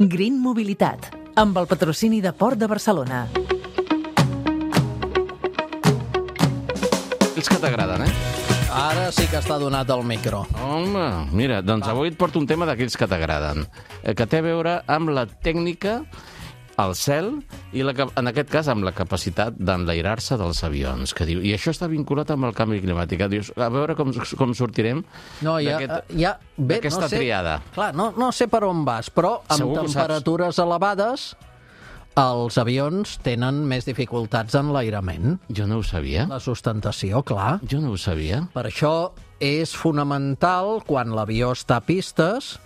Speaker 3: Green Mobilitat, amb el patrocini de Port de Barcelona.
Speaker 6: Els que t'agraden, eh?
Speaker 2: Ara sí que està donat el micro.
Speaker 6: Home, mira, doncs Va. avui et porto un tema d'aquells que t'agraden, que té a veure amb la tècnica, el cel, i la, en aquest cas amb la capacitat d'enlairar-se dels avions. Que diu, i això està vinculat amb el canvi climàtic. Dius, a veure com, com sortirem
Speaker 2: no, ja, ja,
Speaker 6: d'aquesta
Speaker 2: no sé,
Speaker 6: triada.
Speaker 2: Clar, no, no sé per on vas, però amb Segur temperatures elevades els avions tenen més dificultats en l'enlairament.
Speaker 6: Jo no ho sabia.
Speaker 2: La sustentació, clar.
Speaker 6: Jo no ho sabia.
Speaker 2: Per això és fonamental, quan l'avió està a pistes,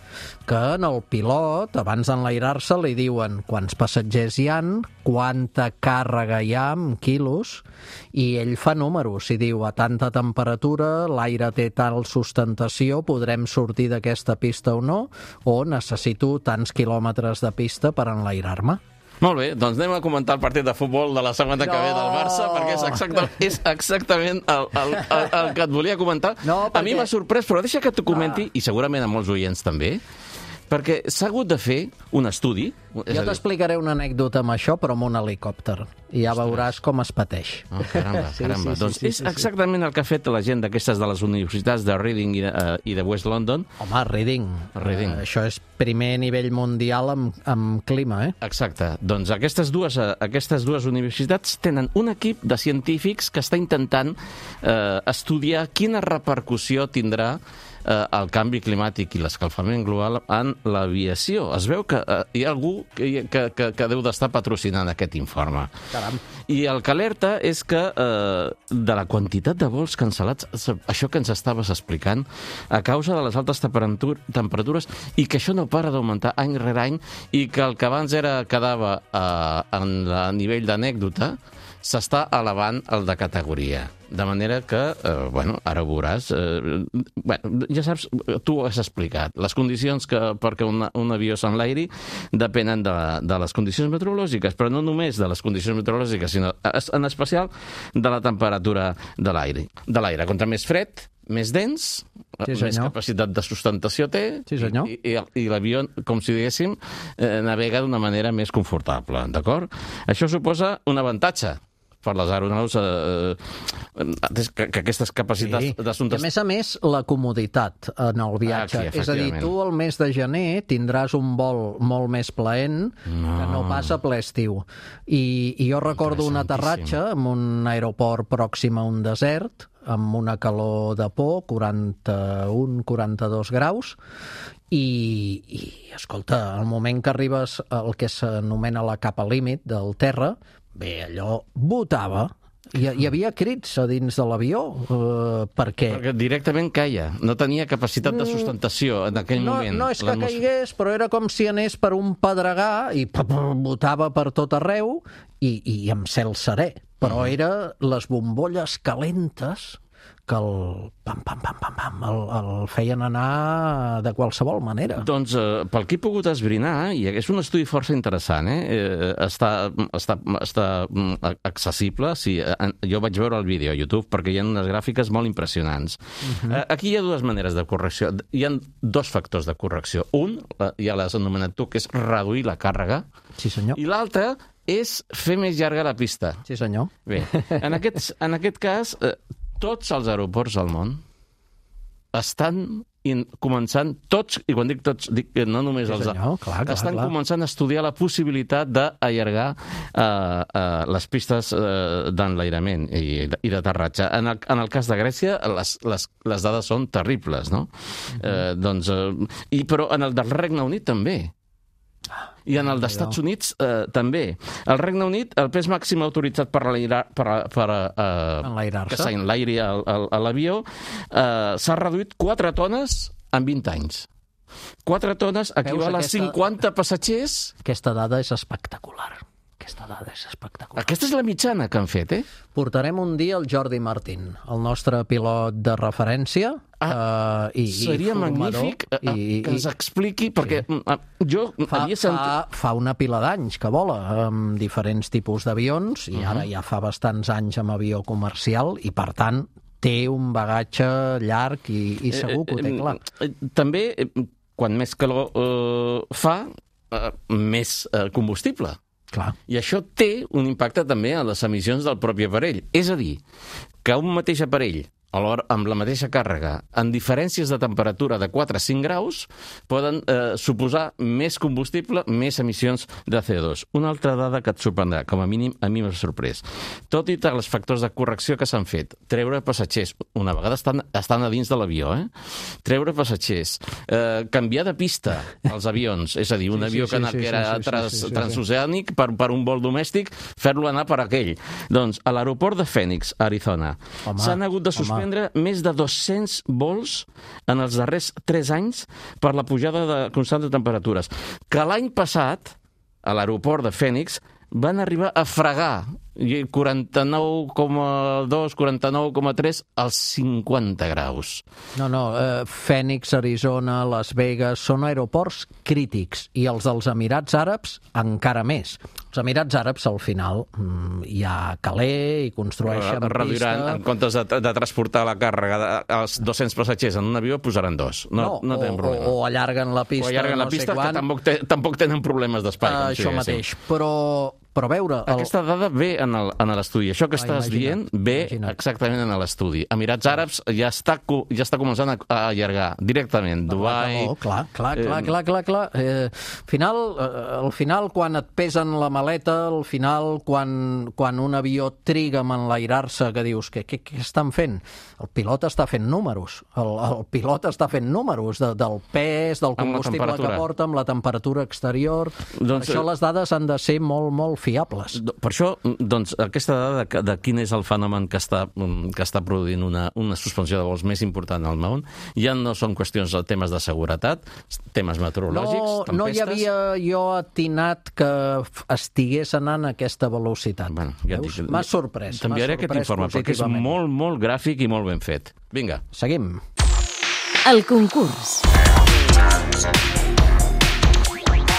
Speaker 2: que en el pilot, abans d'enlairar-se, li diuen quants passatgers hi han, quanta càrrega hi ha en quilos, i ell fa números. Si diu a tanta temperatura, l'aire té tal sustentació, podrem sortir d'aquesta pista o no, o necessito tants quilòmetres de pista per enlairar-me.
Speaker 6: Molt bé, doncs anem a comentar el partit de futbol de la setmana no. que ve del Barça, perquè és, exacta, és exactament el, el, el, el que et volia comentar. No, perquè... A mi m'ha sorprès, però deixa que t'ho comenti, ah. i segurament a molts oients també, perquè s'ha hagut de fer un estudi.
Speaker 2: Jo t'explicaré una anècdota amb això, però amb un helicòpter, i ja Ostres. veuràs com es pateix.
Speaker 6: Oh, caramba,
Speaker 2: sí,
Speaker 6: caramba.
Speaker 2: Sí, sí,
Speaker 6: doncs
Speaker 2: sí,
Speaker 6: és
Speaker 2: sí, sí.
Speaker 6: exactament el que ha fet la gent d'aquestes de les universitats de Reading i de, uh, i de West London.
Speaker 2: Home, Reading.
Speaker 6: Reading.
Speaker 2: Uh, això és primer nivell mundial amb, amb clima, eh?
Speaker 6: Exacte. Doncs aquestes dues, uh, aquestes dues universitats tenen un equip de científics que està intentant uh, estudiar quina repercussió tindrà eh, el canvi climàtic i l'escalfament global en l'aviació. Es veu que eh, hi ha algú que, que, que, que deu d'estar patrocinant aquest informe.
Speaker 2: Caram.
Speaker 6: I el que alerta és que eh, de la quantitat de vols cancel·lats, això que ens estaves explicant, a causa de les altes temperatures, i que això no para d'augmentar any rere any, i que el que abans era quedava eh, en a nivell d'anècdota, s'està elevant el de categoria. De manera que, eh, bueno, ara ho veuràs, eh, bueno, ja saps, tu ho has explicat, les condicions que perquè un, un avió s'enlairi depenen de, de les condicions meteorològiques, però no només de les condicions meteorològiques, sinó en especial de la temperatura de l'aire. De l'aire. Contra més fred, més dens,
Speaker 2: Sí,
Speaker 6: més
Speaker 2: senyor.
Speaker 6: capacitat de sustentació té,
Speaker 2: Sí, senyor.
Speaker 6: i, i, i l'avió, com si diguéssim, eh, navega d'una manera més confortable, d'acord? Això suposa un avantatge per les aeronaus, eh, eh, que, que aquestes capacitats
Speaker 2: Sí.
Speaker 6: sí.
Speaker 2: I
Speaker 6: d'assumptes...
Speaker 2: a més a més, la comoditat en el viatge.
Speaker 6: Ah, sí,
Speaker 2: és a dir,
Speaker 6: efectivament.
Speaker 2: tu el mes de gener tindràs un vol molt més plaent no. que no pas a ple estiu. I, i jo recordo un aterratge en un aeroport pròxim a un desert, amb una calor de por, quaranta-un quaranta-dos graus, i, i escolta, al moment que arribes al que s'anomena la capa límit del terra, bé, allò botava. Hi, hi havia crits a dins de l'avió, eh, perquè...
Speaker 6: Perquè directament caia, no tenia capacitat de sustentació en aquell
Speaker 2: no,
Speaker 6: moment.
Speaker 2: No és que
Speaker 6: L'atmos-
Speaker 2: caigués, però era com si anés per un pedregar i botava per tot arreu i, i amb cel serè. Però uh -huh. era les bombolles calentes que el pam, pam, pam, pam, pam, el, el feien anar de qualsevol manera.
Speaker 6: Doncs eh, pel que he pogut esbrinar, i és un estudi força interessant, eh? eh està, està, està mm, accessible, sí, eh, jo vaig veure el vídeo a YouTube perquè hi ha unes gràfiques molt impressionants. Uh -huh. eh, aquí hi ha dues maneres de correcció, hi ha dos factors de correcció. Un, eh, ja l'has anomenat tu, que és reduir la càrrega,
Speaker 2: Sí, senyor.
Speaker 6: i l'altre és fer més llarga la pista.
Speaker 2: Sí, senyor.
Speaker 6: Bé, en aquest, en aquest cas, eh, tots els aeroports del món estan in, començant, tots, i quan dic tots, dic que no només
Speaker 2: Sí,
Speaker 6: els...
Speaker 2: senyor, clar, clar,
Speaker 6: estan
Speaker 2: clar.
Speaker 6: començant a estudiar la possibilitat d'allargar eh, eh, les pistes eh, d'enlairament i, i d'aterratge. En, el, en el cas de Grècia, les, les, les dades són terribles, no? Uh-huh. eh, doncs, eh, i, però en el del Regne Unit també. I en el dels Estats Units eh, també. El Regne Unit, el pes màxim autoritzat per, per, per eh,
Speaker 2: Enlairar-se.
Speaker 6: que s'enlairi a, a, a l'avió eh, s'ha reduït quatre tones en vint anys. quatre tones equival
Speaker 2: aquesta-
Speaker 6: a cinquanta passatgers.
Speaker 2: Aquesta dada és espectacular. Aquesta dada és espectacular.
Speaker 6: Aquesta és la mitjana que han fet, eh?
Speaker 2: Portarem un dia el Jordi Martín, el nostre pilot de referència,
Speaker 6: Ah,
Speaker 2: eh, i,
Speaker 6: Seria
Speaker 2: i formador,
Speaker 6: magnífic eh,
Speaker 2: i,
Speaker 6: que ens expliqui, perquè sí. jo
Speaker 2: Fa,
Speaker 6: havia sentit...
Speaker 2: fa, fa una pila d'anys que vola amb diferents tipus d'avions i
Speaker 6: Uh-huh.
Speaker 2: ara ja fa bastants anys amb avió comercial i, per tant, té un bagatge llarg i, i segur que ho té clar.
Speaker 6: Eh, eh, també, eh, quan més calor eh, fa, eh, més eh, combustible.
Speaker 2: Clar.
Speaker 6: I això té un impacte també a les emissions del propi aparell. És a dir, que un mateix aparell, alhora amb la mateixa càrrega, en diferències de temperatura de quatre a cinc graus, poden eh, suposar més combustible, més emissions de C O dos. Una altra dada que et sorprendrà, com a mínim a mi m'ha sorprès. Tot i els factors de correcció que s'han fet, treure passatgers, una vegada estan, estan a dins de l'avió, eh? treure passatgers, eh, canviar de pista als avions, és a dir, un
Speaker 2: Sí, sí,
Speaker 6: avió que,
Speaker 2: sí,
Speaker 6: anava,
Speaker 2: sí,
Speaker 6: que era
Speaker 2: sí, sí,
Speaker 6: trans,
Speaker 2: sí, sí, sí.
Speaker 6: transoceànic per, per un vol domèstic, fer-lo anar per aquell. Doncs a l'aeroport de Phoenix, Arizona,
Speaker 2: Home,
Speaker 6: s'han hagut de
Speaker 2: home.
Speaker 6: suspendre més de dos-cents vols en els darrers tres anys per la pujada de constant de temperatures. Que l'any passat, a l'aeroport de Phoenix, van arribar a fregar quaranta-nou coma dos, quaranta-nou coma tres als cinquanta graus.
Speaker 2: No, no, eh, Phoenix, Arizona, Las Vegas, són aeroports crítics i els dels Emirats Àrabs encara més. Els Emirats Àrabs, al final, mm, hi ha caler i construeixen
Speaker 6: Reduiran,
Speaker 2: pista...
Speaker 6: en comptes de, de transportar la càrrega dels dos-cents passatgers en un avió, posaran dos. No, no, no tenen
Speaker 2: o,
Speaker 6: problema.
Speaker 2: O, o allarguen la pista,
Speaker 6: o allarguen
Speaker 2: no
Speaker 6: la pista,
Speaker 2: sé quan.
Speaker 6: que tampoc, te, tampoc tenen problemes d'espai.
Speaker 2: Uh,
Speaker 6: com si
Speaker 2: això
Speaker 6: diguéssim.
Speaker 2: mateix, però, però a veure... El...
Speaker 6: Aquesta dada ve en el- en l'estudi. Això que
Speaker 2: Ah,
Speaker 6: estàs
Speaker 2: imagina't,
Speaker 6: dient ve
Speaker 2: imagina't.
Speaker 6: exactament en l'estudi. Emirats Àrabs ja està, co- ja està començant a, a allargar directament. Dubai...
Speaker 2: Oh, clar, clar, clar,
Speaker 6: eh,
Speaker 2: clar, clar, clar. Eh, final, eh, al final, quan et pesen la maleta, al final, quan, quan un avió triga a enlairar-se, que dius, què, què, què estan fent? El pilot està fent números. El, el pilot està fent números de, del pes, del
Speaker 6: Amb la
Speaker 2: combustible que
Speaker 6: temperatura.
Speaker 2: porta, amb la temperatura exterior.
Speaker 6: Doncs,
Speaker 2: Doncs, per això
Speaker 6: eh,
Speaker 2: les dades han de ser molt, molt fiables.
Speaker 6: Per això, doncs, aquesta dada de, de quin és el fenomen que està, que està produint una, una suspensió de vols més important al món, ja no són qüestions de temes de seguretat, temes meteorològics,
Speaker 2: No, no hi
Speaker 6: tempestes...
Speaker 2: havia jo atinat que f- estigués anant a aquesta velocitat.
Speaker 6: Bueno, ja et
Speaker 2: Veus?
Speaker 6: dic,
Speaker 2: M'ha sorprès. m'ha
Speaker 6: T'enviaré aquest
Speaker 2: sorprès
Speaker 6: informe, perquè és
Speaker 2: positivament.
Speaker 6: molt, molt gràfic i molt ben fet. Vinga.
Speaker 2: Seguim.
Speaker 1: El concurs.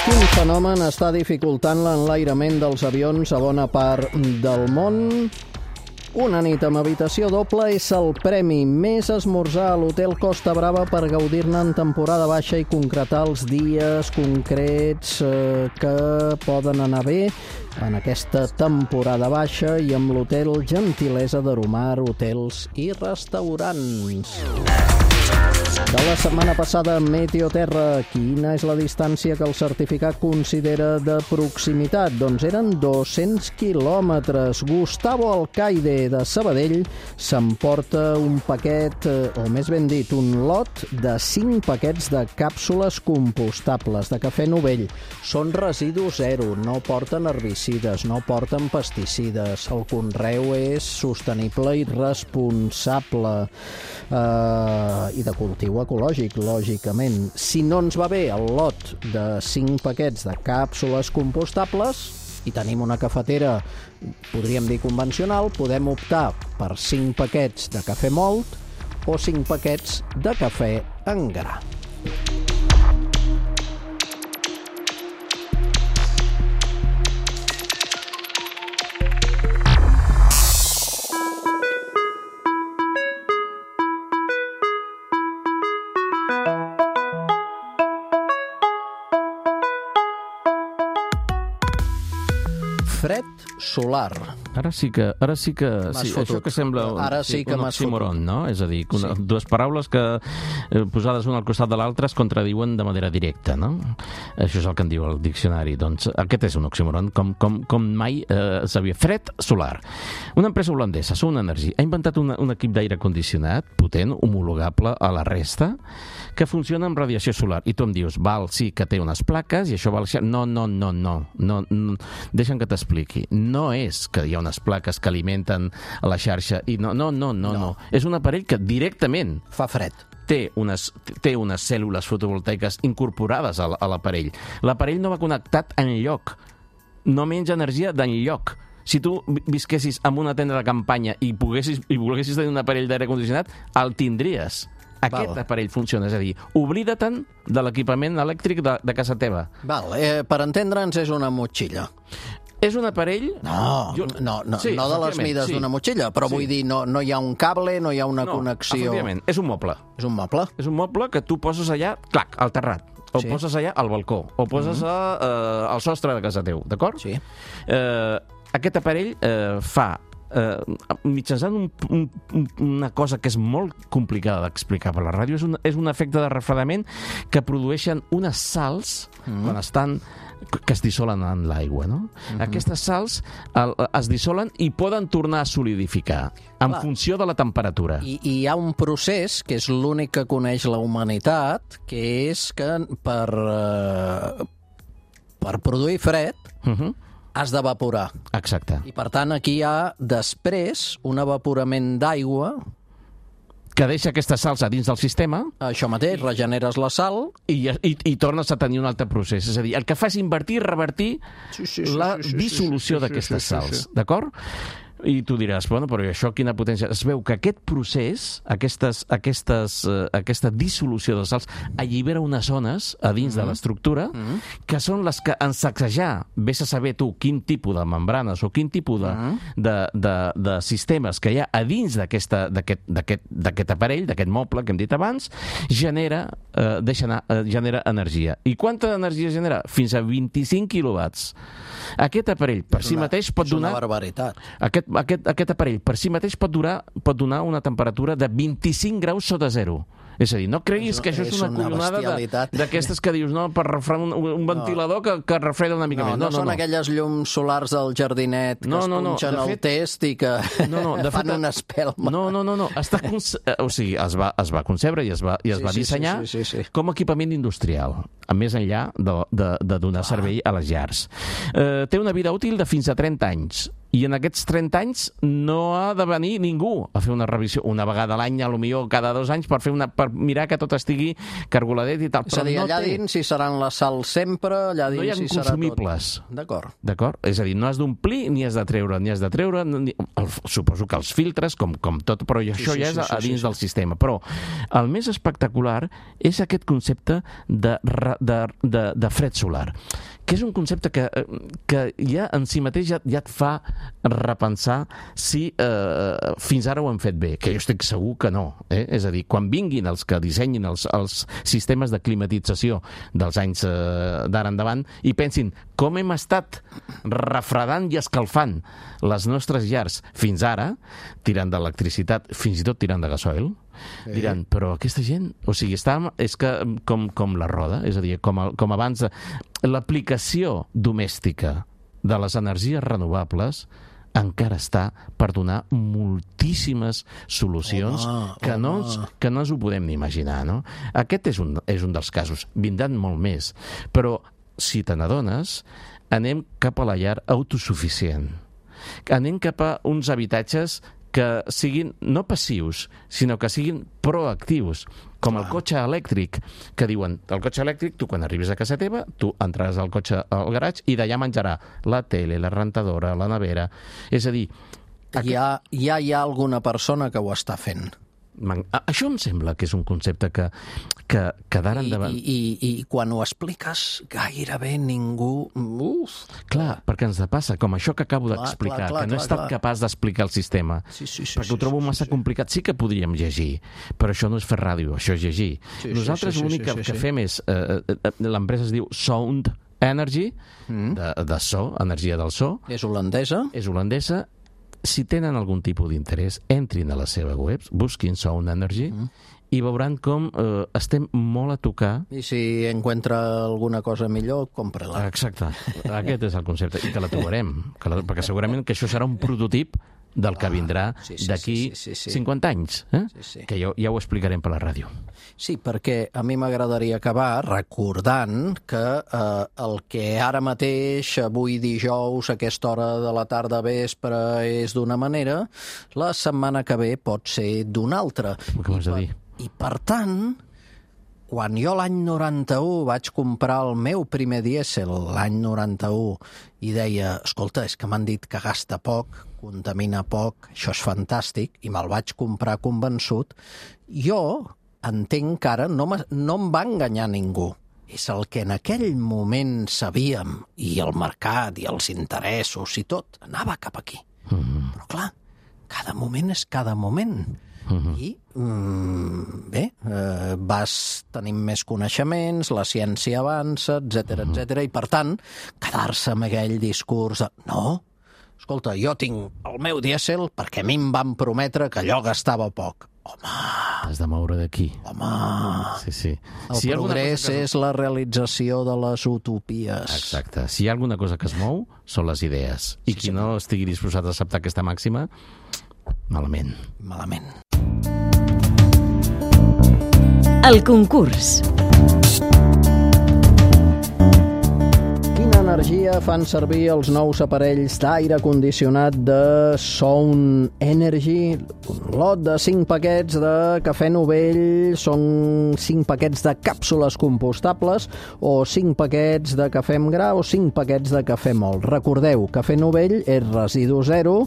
Speaker 2: Quin fenomen està dificultant l'enlairament dels avions a bona part del món? Una nit amb habitació doble és el premi. Més esmorzar a l'Hotel Costa Brava per gaudir-ne en temporada baixa i concretar els dies concrets eh, que poden anar bé en aquesta temporada baixa i amb l'Hotel Gentilesa d'Aromar, hotels i restaurants. De la setmana passada, Meteoterra, quina és la distància que el certificat considera de proximitat? Doncs eren dos-cents quilòmetres. Gustavo Alcaide, de Sabadell, s'emporta un paquet, o més ben dit, un lot de cinc paquets de càpsules compostables de cafè Novell. Són residu zero, no porten herbicides, no porten pesticides. El conreu és sostenible i responsable eh, i de cultiu ecològic, lògicament. Si no ens va bé el lot de cinc paquets de càpsules compostables i tenim una cafetera, podríem dir convencional, podem optar per cinc paquets de cafè mòlt o cinc paquets de cafè en gra. Fred solar.
Speaker 6: Ara sí que... Ara sí que sí, això que sembla un,
Speaker 2: ara sí
Speaker 6: sí,
Speaker 2: que
Speaker 6: un oxímoron, no? És a dir, una, sí. dues paraules que eh, posades una al costat de l'altra es contradiuen de manera directa, no? Això és el que en diu el diccionari. Doncs aquest és un oxímoron, com, com, com mai eh, s'havia... Fred solar. Una empresa holandesa, Sun Energy, ha inventat una, un equip d'aire condicionat potent, homologable a la resta, que funciona amb radiació solar. I tu em dius, val, sí, que té unes plaques i això val... No, no, no, no. no, no. Deixa'm que t'expliqui. No és que hi ha unes plaques que alimenten a la xarxa i no, no, no, no, no. no. És un aparell que directament
Speaker 2: fa fred.
Speaker 6: Té unes, té unes cèl·lules fotovoltaiques incorporades a l'aparell. L'aparell no va connectat enlloc. No menja energia d'enlloc. Si tu visquessis en una tenda de campanya i, poguessis, i volguessis tenir un aparell d'aire condicionat, el tindries. Aquest Val. aparell funciona, és a dir, oblida-te'n de l'equipament elèctric de, de casa teva.
Speaker 2: Val, eh, per entendre'ns és una motxilla.
Speaker 6: És un aparell...
Speaker 2: No, jo... no, no, sí, no de les mides sí. d'una motxilla, però sí. vull dir, no, no hi ha un cable, no hi ha una
Speaker 6: no,
Speaker 2: connexió...
Speaker 6: efectivament, és un moble.
Speaker 2: És un moble?
Speaker 6: És un moble que tu poses allà, clac, al terrat, o sí. poses allà al balcó, o poses mm -hmm. a, uh, al sostre de casa teu, d'acord?
Speaker 2: Sí.
Speaker 6: Uh, aquest aparell uh, fa Uh, mitjançant un, un, una cosa que és molt complicada d'explicar per la ràdio, és un, és un efecte de refredament que produeixen unes sals mm. quan estan que es dissolen en l'aigua, no? Mm-hmm. Aquestes sals el, es dissolen i poden tornar a solidificar en Clar. funció de la temperatura.
Speaker 2: I, I hi ha un procés que és l'únic que coneix la humanitat, que és que per, uh, per produir fred
Speaker 6: mm-hmm.
Speaker 2: has d'evaporar.
Speaker 6: Exacte.
Speaker 2: I, per tant, aquí hi ha, després, un evaporament d'aigua...
Speaker 6: Que deixa aquestes sals a dins del sistema.
Speaker 2: Això mateix, regeneres la sal...
Speaker 6: I, i, i tornes a tenir un altre procés. És a dir, el que fa és invertir i revertir sí, sí, sí, la sí, sí, dissolució sí, sí, d'aquestes sí, sí, sals. Sí, sí. D'acord? I tu diràs, bueno, però això quina potència... Es veu que aquest procés, aquestes, aquestes, uh, aquesta dissolució de sals, allibera unes zones a dins mm-hmm. de l'estructura mm-hmm. que són les que en sacsejar, vés a saber tu quin tipus de membranes o quin tipus de, mm-hmm. de, de, de sistemes que hi ha a dins d'aquest aparell, d'aquest moble que hem dit abans, genera, uh, deixa anar, uh, genera energia. I quanta energia genera? Fins a vint-i-cinc quilowatts. Aquest aparell per
Speaker 2: és
Speaker 6: si
Speaker 2: una,
Speaker 6: mateix pot donar...
Speaker 2: És una barbaritat.
Speaker 6: Aquest, aquest, aquest aparell per si mateix pot, durar, pot donar una temperatura de vint-i-cinc graus sota zero. És a dir, no creguis és, que això és, és una, una collonada d'aquestes que dius, no, per refredar un, un ventilador no. que, que refreda una mica
Speaker 2: no,
Speaker 6: més.
Speaker 2: No, no, no són no. aquelles llums solars del jardinet que no, es punxen no, no. al fet... test i que no, no, de fan fet, una espelma.
Speaker 6: No, no, no. no. Està conce... O sigui, es va, es va concebre i es va, i es sí, va dissenyar
Speaker 2: sí, sí, sí, sí.
Speaker 6: com a equipament industrial, a més enllà de, de, de donar ah. servei a les llars. Eh, té una vida útil de fins a trenta anys. I en aquests trenta anys no ha de venir ningú a fer una revisió una vegada a l'any, a lo millor cada dos anys, per, fer una, per mirar que tot estigui cargoladet i tal.
Speaker 2: És a dir, allà no dins si seran la sal sempre, allà dins
Speaker 6: no hi ha
Speaker 2: si
Speaker 6: consumibles.
Speaker 2: Serà tot. D'acord.
Speaker 6: D'acord? És a dir, no has d'omplir ni has de treure, ni has de treure... Ni... El, suposo que els filtres, com, com tot, però això sí, sí, ja és sí, a, a dins sí, sí. del sistema. Però el més espectacular és aquest concepte de, de, de, de fred solar, que és un concepte que, que ja en si mateix ja, ja et fa repensar si eh, fins ara ho hem fet bé, que jo estic segur que no. Eh? És a dir, quan vinguin els que dissenyin els, els sistemes de climatització dels anys eh, d'ara endavant i pensin com hem estat refredant i escalfant les nostres llars fins ara, tirant d'electricitat, fins i tot tirant de gasoil, sí. Diran, però aquesta gent, o sigui, està, és que com, com la roda, és a dir, com, a, com abans, l'aplicació domèstica de les energies renovables encara està per donar moltíssimes solucions home, que, no ens, que no ens ho podem ni imaginar, no? Aquest és un, és un dels casos. Vindran molt més. Però, si te n'adones, anem cap a la llar autosuficient. Anem cap a uns habitatges que siguin no passius, sinó que siguin proactius, com el cotxe elèctric, que diuen, el cotxe elèctric, tu quan arribes a casa teva, tu entraràs al cotxe al garatge i d'allà menjarà la tele, la rentadora, la nevera. És a dir...
Speaker 2: Aquest... Ja, ja hi ha alguna persona que ho està fent.
Speaker 6: Això em sembla que és un concepte que, que, que d'ara endavant...
Speaker 2: I, i, I quan ho expliques, gairebé ningú... Uf!
Speaker 6: Clar, perquè ens passa, com això que acabo d'explicar, que no he estat capaç d'explicar el sistema, sí, sí, sí, perquè ho trobo massa sí, sí. complicat. Sí que podríem llegir, però això no és fer ràdio, això és llegir. Sí, Nosaltres sí, sí, l'únic sí, sí, que, sí. que fem és... Eh, l'empresa es diu Sound Energy, mm. de, de so, energia del so.
Speaker 2: És holandesa.
Speaker 6: És holandesa. Si tenen algun tipus d'interès, entrin a la seva web, busquin Sound Energy, mm. i veuran com eh, estem molt a tocar.
Speaker 2: I si encuentra alguna cosa millor, compra-la.
Speaker 6: Exacte, aquest és el concepte, i que la trobarem, que la, perquè segurament que això serà un prototip del que vindrà ah, sí, sí, d'aquí sí, sí, sí, sí. cinquanta anys, eh? sí, sí. que jo, ja ho explicarem per la ràdio.
Speaker 2: Sí, perquè a mi m'agradaria acabar recordant que eh, el que ara mateix, avui dijous, a aquesta hora de la tarda vespre, és d'una manera, la setmana que ve pot ser d'una altra.
Speaker 6: Què vols dir?
Speaker 2: I per tant, quan jo l'any noranta-u vaig comprar el meu primer dièsel, l'any noranta-u, i deia, escolta, és que m'han dit que gasta poc, contamina poc, això és fantàstic, i me'l vaig comprar convençut, jo entenc que ara no, no em va enganyar ningú. És el que en aquell moment sabíem, i el mercat, i els interessos, i tot, anava cap aquí. Mm-hmm. Però clar, cada moment és cada moment. Uh-huh. I mm, bé, eh, vas tenint més coneixements, la ciència avança, etcètera, uh-huh. etcètera, i per tant, quedar-se amb aquell discurs de no, escolta, jo tinc el meu dièsel perquè a mi em van prometre que allò gastava poc. Home...
Speaker 6: Has de moure d'aquí.
Speaker 2: Home...
Speaker 6: Sí, sí.
Speaker 2: El si progrés que... és la realització de les utopies.
Speaker 6: Exacte. Si hi ha alguna cosa que es mou, són les idees. I sí, qui sí. no estigui disposat a acceptar aquesta màxima, malament.
Speaker 2: Malament.
Speaker 1: El concurs.
Speaker 2: Quina energia fan servir els nous aparells d'aire condicionat de Sound Energy? Un lot de cinc paquets de cafè Novell, són cinc paquets de càpsules compostables o cinc paquets de cafè amb gra o cinc paquets de cafè mòlt. Recordeu, cafè Novell és residu zero,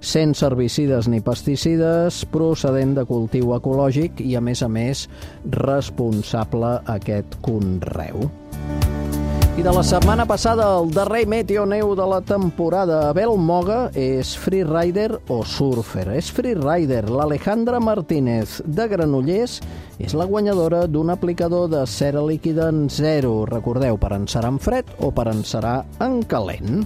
Speaker 2: sense herbicides ni pesticides, procedent de cultiu ecològic i, a més a més, responsable aquest conreu. I de la setmana passada, el darrer meteoneu de la temporada. Abel Moga és freerider o surfer? És freerider. L'Alejandra Martínez de Granollers és la guanyadora d'un aplicador de cera líquida en zero. Recordeu, per encerar en fred o per encerar en calent.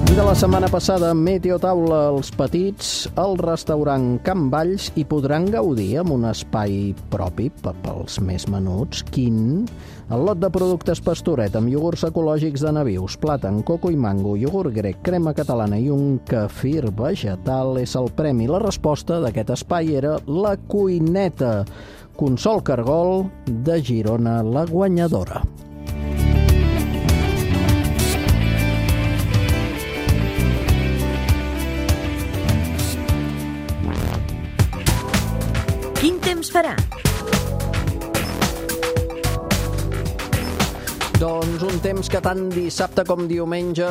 Speaker 2: I de la setmana passada, Meteotaula, els petits, al restaurant Can Valls hi podran gaudir amb un espai propi pels més menuts. Quin? El lot de productes Pastoret amb iogurts ecològics de nabius, plàtan, coco i mango, iogurt grec, crema catalana i un kefir vegetal és el premi. La resposta d'aquest espai era la cuineta. Consol Cargol, de Girona, la guanyadora.
Speaker 1: Quin temps farà?
Speaker 2: Doncs un temps que tant dissabte com diumenge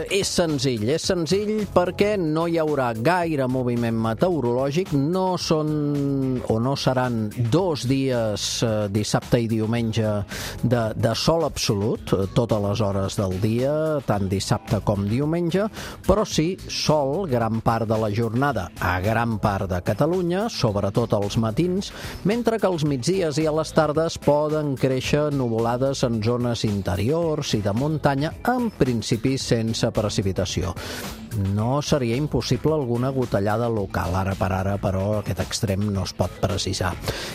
Speaker 2: és senzill. És senzill perquè no hi haurà gaire moviment meteorològic, no són o no seran dos dies, eh, dissabte i diumenge, de, de sol absolut, totes les hores del dia, tant dissabte com diumenge, però sí sol gran part de la jornada a gran part de Catalunya, sobretot als matins, mentre que als migdies i a les tardes poden créixer nuvolades en zones interiors i de muntanya, en principi sense precipitació. No seria impossible alguna gotellada local, ara per ara, però aquest extrem no es pot precisar.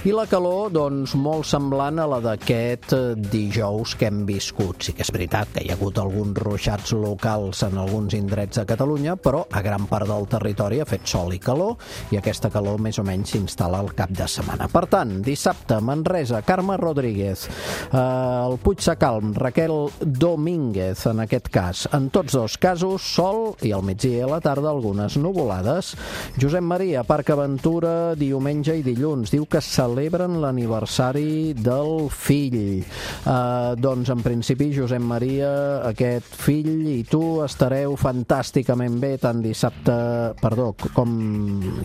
Speaker 2: I la calor, doncs, molt semblant a la d'aquest dijous que hem viscut. Sí que és veritat que hi ha hagut alguns ruixats locals en alguns indrets de Catalunya, però a gran part del territori ha fet sol i calor, i aquesta calor més o menys s'instal·la al cap de setmana. Per tant, dissabte, Manresa, Carme Rodríguez, eh, el Puig Sacalm, Raquel Domínguez, en aquest cas. En tots dos casos, sol, i al migdia i a la tarda algunes nuvolades. Josep Maria, Parc Aventura, diumenge i dilluns. Diu que celebren l'aniversari del fill. Eh, doncs, en principi, Josep Maria, aquest fill i tu estareu fantàsticament bé tant dissabte, perdó, com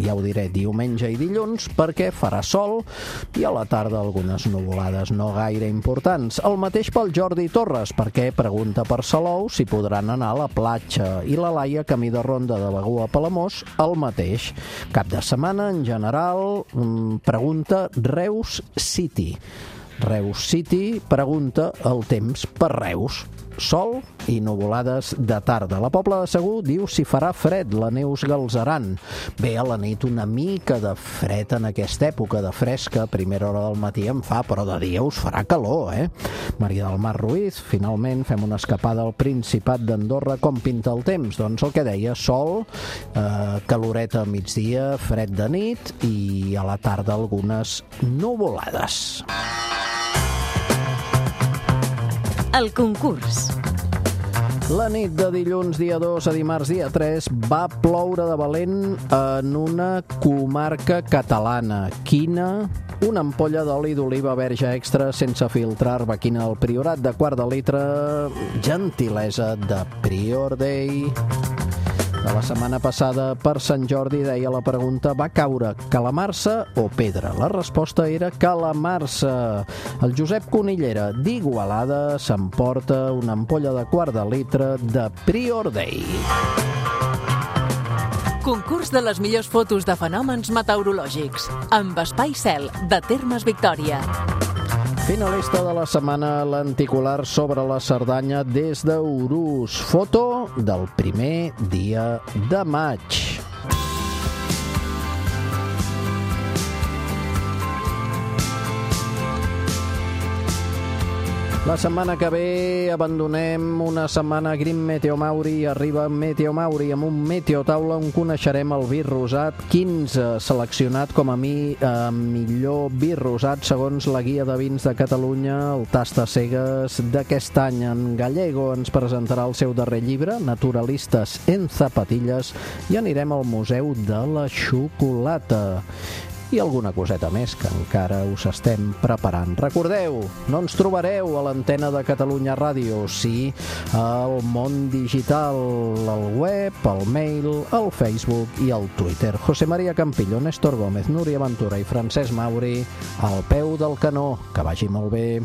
Speaker 2: ja ho diré, diumenge i dilluns, perquè farà sol i a la tarda algunes nuvolades no gaire importants. El mateix pel Jordi Torres, perquè pregunta per Salou si podran anar a la platja, i la Laia, camí de ronda de Begur a Palamós, el mateix. Cap de setmana, en general, pregunta Reus City. Reus City pregunta el temps per Reus. Sol i nuvolades de tarda. La Pobla de Segur diu si farà fred, la Neus Galzeran. Bé, a la nit una mica de fred en aquesta època, de fresca, a primera hora del matí en fa, però de dia us farà calor, eh? Maria del Mar Ruiz, finalment fem una escapada al Principat d'Andorra. Com pinta el temps? Doncs el que deia, sol, eh, caloreta a migdia, fred de nit i a la tarda algunes nuvolades.
Speaker 1: El concurs.
Speaker 2: La nit de dilluns dia dos a dimarts dia tres va ploure de valent en una comarca catalana. Quina? Una ampolla d'oli d'oliva verge extra sense filtrar, Arbequina del Priorat, de quart de litre, gentilesa de Prior Day. De la setmana passada, per Sant Jordi, deia la pregunta, va caure calamarsa o pedra? La resposta era calamarsa. El Josep Conillera, d'Igualada, s'emporta una ampolla de quart de litre de Prior Day.
Speaker 3: Concurs de les millors fotos de fenòmens meteorològics, amb Espai Cel, de Termes Victòria.
Speaker 2: Finalista de la setmana, l'anticular sobre la Cerdanya des d'Urús. Foto del primer dia de maig. La setmana que ve abandonem una setmana Grim Meteo Mauri i arriba Meteo Mauri amb un meteotaula on coneixerem el vi rosat quinze, seleccionat com a mi eh, millor vi rosat segons la guia de vins de Catalunya, el Tasta Cegues d'aquest any. En Gallego ens presentarà el seu darrer llibre, Naturalistes en zapatilles, i anirem al Museu de la Xocolata. I alguna coseta més que encara us estem preparant. Recordeu, no ens trobareu a l'antena de Catalunya Ràdio, sí al món digital, al web, al mail, al Facebook i al Twitter. José María Campillo, Néstor Gómez, Núria Ventura i Francesc Mauri al peu del canó. Que vagi molt bé.